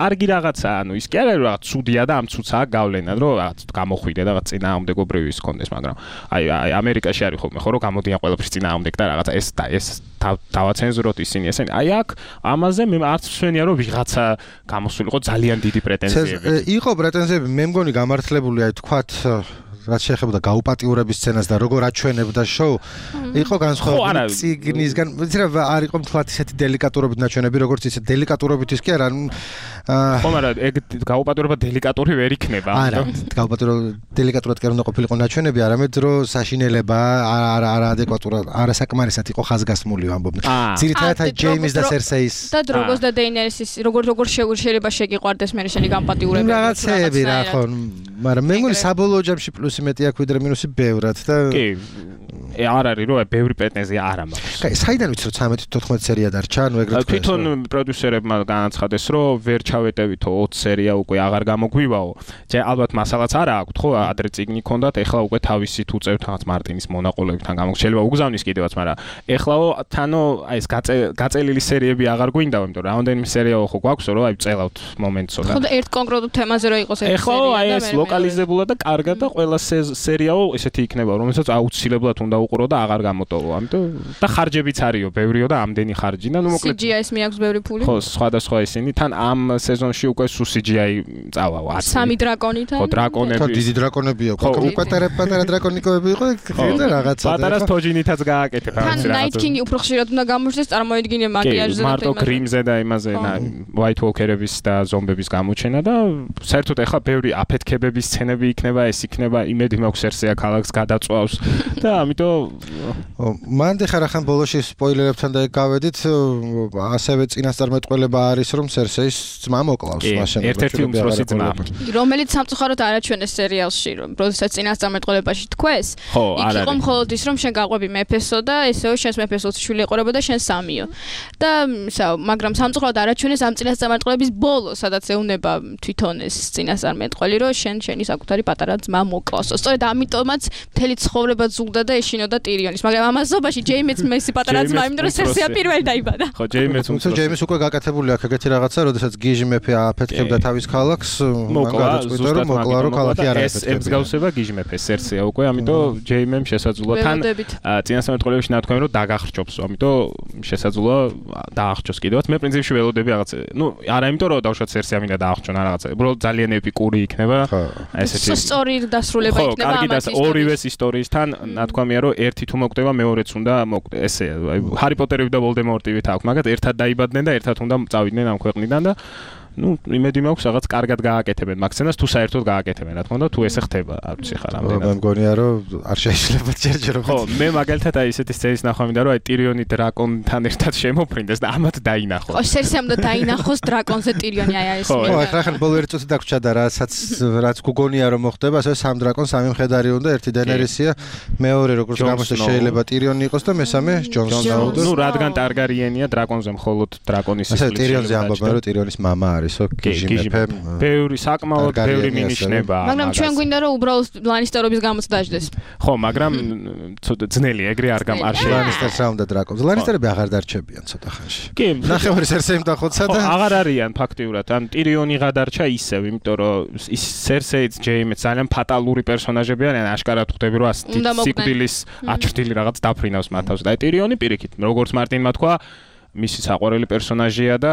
კარგი რაღაცა, ანუ ის კი არა რომ რაღაც ცუდია და ამ ცუდსაა გავლენა, რომ რაღაც გამოხვიდე და რაღაც წინააღმდეგობრივი ის კონდეს, მაგრამ აი აი ამერიკაში არის ხოლმე ხო რომ გამოდიან ყველაფრის წინააღმდეგ და რაღაცა ეს და ეს დავაცენზუროთ ისინი ესენი. აი აქ ამაზე მე არც ვსვენია რომ ვიღაცა გამოსულიყო ძალიან დიდი პრეტენზიები. იყო პრეტენზიები, მე მგონი გამართლებული, აი თქვათ რაც შეეხებოდა გაუპატიურების სცენას და როგორ აჩვენებდა შოუ, იყო განსხვავებული ციგნისგან, ვიცი რა არ იყო მთლად ისეთი დელიკატურობით ნაჩვენები, როგორც ისე დელიკატურობით ის კი არა, ხო, მაგრამ ეგ გაუპატიურება დელიკატური ვერ იქნება. არა, გაუპატიურება დელიკატურად კი არ უნდა ყოფილიყო ნაჩვენები, არამედ რომ საშინელება არა არა ადეკვატურად, არასაკმარისად იყო ხაზგასმული ამბობდნენ. ძირითადად აი ჯეიმის და სერსეის და დროგოს და დეინერისის როგორ როგორ შეიძლება შეგიყვარდეს მე შენი გამპატიურებები. რაღაცეები რა ხო, მაგრამ მე მგონი საბოლოო ჯამში პლუსი მეტი აქვს ვიდრე მინუსი ბევრად და კი არ არის რომ ბევრი პრეტენზია არ მაქვს. კაი, საიდან ვიცი რომ ცამეტი თოთხმეტი სერია დარჩა, ანუ ეგრეთ თქვა. თვითონ პროდიუსერებმა განაცხადეს რომ ვერ ჩავეტევითო ოცი სერია უკვე აღარ გამოგვივაო. ჯერ ალბათ მასალაც არა აქვთ ხო, ადრე წიგნი ქონდათ, ეხლა უკვე თავისი თუ წერთ რაღაც მარტინის მონაყოლებთან გამოგვშელება უგზავნის კიდევაც, მაგრამ ეხლაო თანო აი ეს გაწელილი სერიები აღარ გვინდაო, იმიტომ რომ რამდენიმე სერიაო ხო გვაქვს რომ აი წელავთ მომენტსო და ხო და ერთ კონკრეტულ თემაზე რო იყოს ეს სერია. ეხლა აი ეს ლოკალიზებულად და კარგად და ყველა სერიაო ესეთი იქნება, რომელსაც აუცილებლად უნდა უყურო და აღარ გამოტოვო. ამიტომ და ხარჯებიც არისო, ბევრიო და ამდენი ხარჯი და ნუ მოკლედ სი ჯი აის მიაქვს ბევრი ფული. ხო, სხვადასხვა ისინი თან ამ სეზონში უკვე სუ სი ჯი აი წავაო. სამი დრაკონითან. ხო, დრაკონები. ხო, დიდი დრაკონები აქვს. უკვე პატარა პატარა დრაკონიკოები იყო, და რაღაცა. პატარას თოჯინითაც გააკეთებ ამას. თან ნაით კინგი უფრო ხშირად უნდა გამოჩნდეს, წარმოედგინე მაკიაჟზე და მარტო გრიმზე და იმაზე და ვაით უოკერების და ზომბების გამოჩენა და საერთოდ ეხლა ბევრი აფეთქებების სცენები იქნება, ეს იქნება, იმედი მაქვს სერსეა ქალაქს გადაწვავს და ამიტომ მანდ ხარ ახან ბოლოში სპოილერებთან და გავედით, ასევე წინასწარმეტყველება არის რომ სერსეის ძმა მოკლავს მაშინ. ერთ-ერთი უმცროსი ძმა, რომელიც სამწუხაროდ არაჩვენეს სერიალში, რომ როდესაც წინასწარმეტყველებაში თქვეს, იქ იყო მხოლოდ ის რომ შენ გაყვები მეფესო და ესეო შენს მეფესოს შვილი ეყურება და შენ სამიო. და მაგრამ სამწუხაროდ არაჩვენეს ამ წინასწარმეტყველების ბოლო, სადაც ეუნება თვითონ ეს წინასწარმეტყველი, რომ შენ შენი საკუთარი პატარა ძმა მოკლავსო. სწორედ ამიტომაც მთელი ცხოვრება ზულდა და ეშინოდა ტირიონის, მაგრამ ამასობაში ჯეიმიც მესი პატარა ძმა, იმიტომ რომ სერსეა პირველი დაიბადა. ხო, ჯეიმიც უმცროსი. ჯეიმის უკვე გაკეთებული აქვს ეგეთი რაღაცა, როდესაც გიჟი მეფე აფეთქებდა თავის ქალაქს, მან გადაწყვიტა რომ მოკლა რომ ქალაქი არ აფეთქებია. ეს მსგავსება გიჟი მეფეს სერსეა უკვე, ამიტომ ჯეიმემ შესაძლოა თან წინასწარმეტყველებში ნათქვამი რომ დაგახრჩობს, ამიტომ შესაძლოა დაახრჩოს კიდევაც. მე პრინციპში ველოდები რაღაცა, ნუ არა იმიტომ რომ დავშოთ სერსეა მინდა დაახრჩონა რაღაცა, უბრალოდ ძალიან ეპიკური იქნება ესეთი. სწორი დასრულება იქნება ამას. ორივეს ისტორიისთან ნათქვამია რომ ერთი თუ მოკვდება მეორეც უნდა ესე აი ჰარი პოტერები და ვოლდემორტივით აქვს, მაგრამ ერთად დაიბადნენ და ერთად უნდა წავიდნენ ამ ქვეყნიდან და ну, იმედი მაქვს რაღაც კარგად გააკეთებენ მაქსენას თუ საერთოდ გააკეთებენ, რა თქმა უნდა, თუ ესე ხდება, არ ვიცი ხარ ამდენად. მე მგონია რომ არ შეიძლება ჯერჯერობით. ხო, მე მაგალითად აი ესეთი სცენის ნახვა მინდა რომ აი ტირიონი დრაკონთან ერთად შემოფრინდეს და ამათ დაინახოს. ხო, სერსეამ და დაინახოს დრაკონზე ტირიონი აი ეს. ხო, ახლა ახლა ბოლო ერთი წუთი დაგვრჩა და რასაც რაც გუგონია რომ მოხდება, ასე სამ დრაკონ, სამი მხედარი უნდა, ერთი დენერისია, მეორე როგორც გამოსა შეიძლება ტირიონი იყოს და მესამე ჯონ სნოუ. ну, რადგან ტარგარიენია დრაკონზე მხოლოდ დრაკონის სისხლი. ასე ტირიონზე ამბობენ რომ ტირიონის მამა არის. ბევრი საკმაოდ ბევრი მინიშნება. მაგრამ ჩვენ გვინდა რომ უბრალოდ ლანისტერობის გამოც დაждდეს. ხო, მაგრამ ცოტა ძნელი ეგრე არ გამ არ შეიძლება. ლანისტერს რა უნდა დრაკონს? ლანისტერები აღარ დარჩებიან ცოტა ხანში. კი, ნახევარი სერსეიმ დახოცა და აღარ არიან ფაქტიურად. ან ტირიონი გადარჩა ისევ, იმიტომ რომ ის სერსეიც ჯეიმიც ძალიან ფატალური პერსონაჟები არიან, აშკარად ხვდები რომ სიკვდილის აჩრდილი რაღაც დაფრინავს მათ თავს. და ტირიონი პირიქით, როგორც მარტინმა თქვა, მისი საყვარელი პერსონაჟია და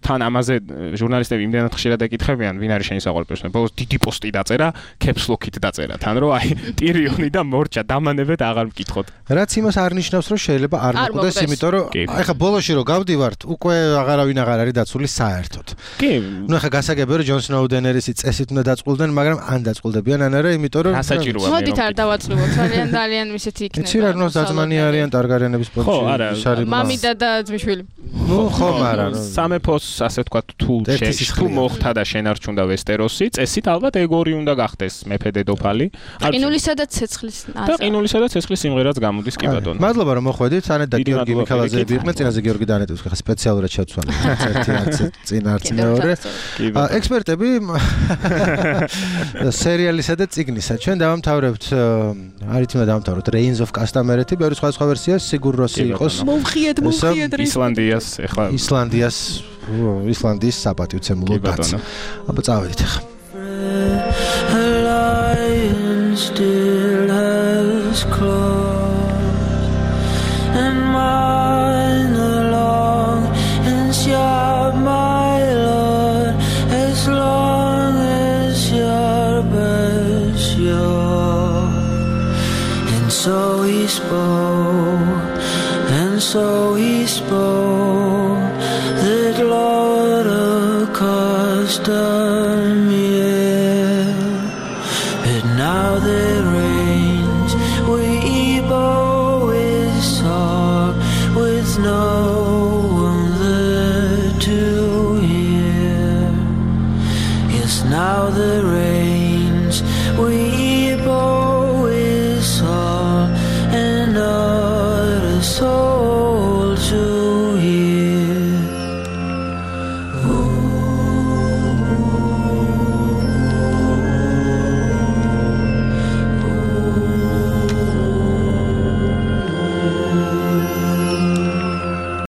თან ამაზე ჟურნალისტები იმდენად ხშირად ეკითხებიან, ვინ არის შენი საყვარელი პერსონაჟი. ბოლოს დიდი პოსტი დაწერა, კეპსლოკით დაწერა, თან რომ აი ტირიონი და მორჩა დამანებად აღარ მკითხოთ. რაც იმას არ ნიშნავს, რომ შეიძლება არ მოკვდეს, იმიტომ რომ აი ხა ბოლოში რომ გავდივართ, უკვე აღარავინ აღარ არის დაცული საერთოდ. კი. ნუ ხა გასაგებია რომ ჯონ სნოუ დენერისი წესით უნდა დაწყულდნენ, მაგრამ ან დაწყულდებიან, ან არა, იმიტომ რომ გასაჭიროა. მოდით არ დავაწყობთ, ძალიან ძალიან ისეთი იქნება. იცი რა ნუ ზაზმანი არიან ტარგარიანების პონჩი. ხო, არა. მამიდა და ძმისშვილი ადგილი. ნუ ხო, მაგრამ სამეფოს ასე ვთქვათ თუ თუ მოხდა და შენარჩუნდა ვესტეროსი, წესით ალბათ ეგორი უნდა გახდეს მეფე დედოფალი. ყინულისა და ცეცხლის და ყინულისა და ცეცხლის სიმღერაც გამოდის კი ბატონო. მადლობა რომ მოხვედით, ანეტ და გიორგი მიქელაძეები იყვნენ, წინაზე გიორგი და ანეტებს ხა სპეციალურად შევცვალე. ერთი არც წინ არც მეორე. ექსპერტები სერიალისა და წიგნისა. ჩვენ დავამთავრებთ, არით უნდა დავამთავროთ Reigns of Castamere-ი, ბევრი სხვა სხვა ვერსია, სიგურ როსი იყოს. მოვხიეთ, მოვხიეთ ისლანდიას, ეხლა ისლანდიას, ისლანდიის საპატივცემულო დაც. აბა წავედით ახლა. Still has claws and mine along and sharp, my lord, as long as sharp as sure. And so he spoke, and so he spoke, that Lord of Castamere. Now there reigns we bow with song, with no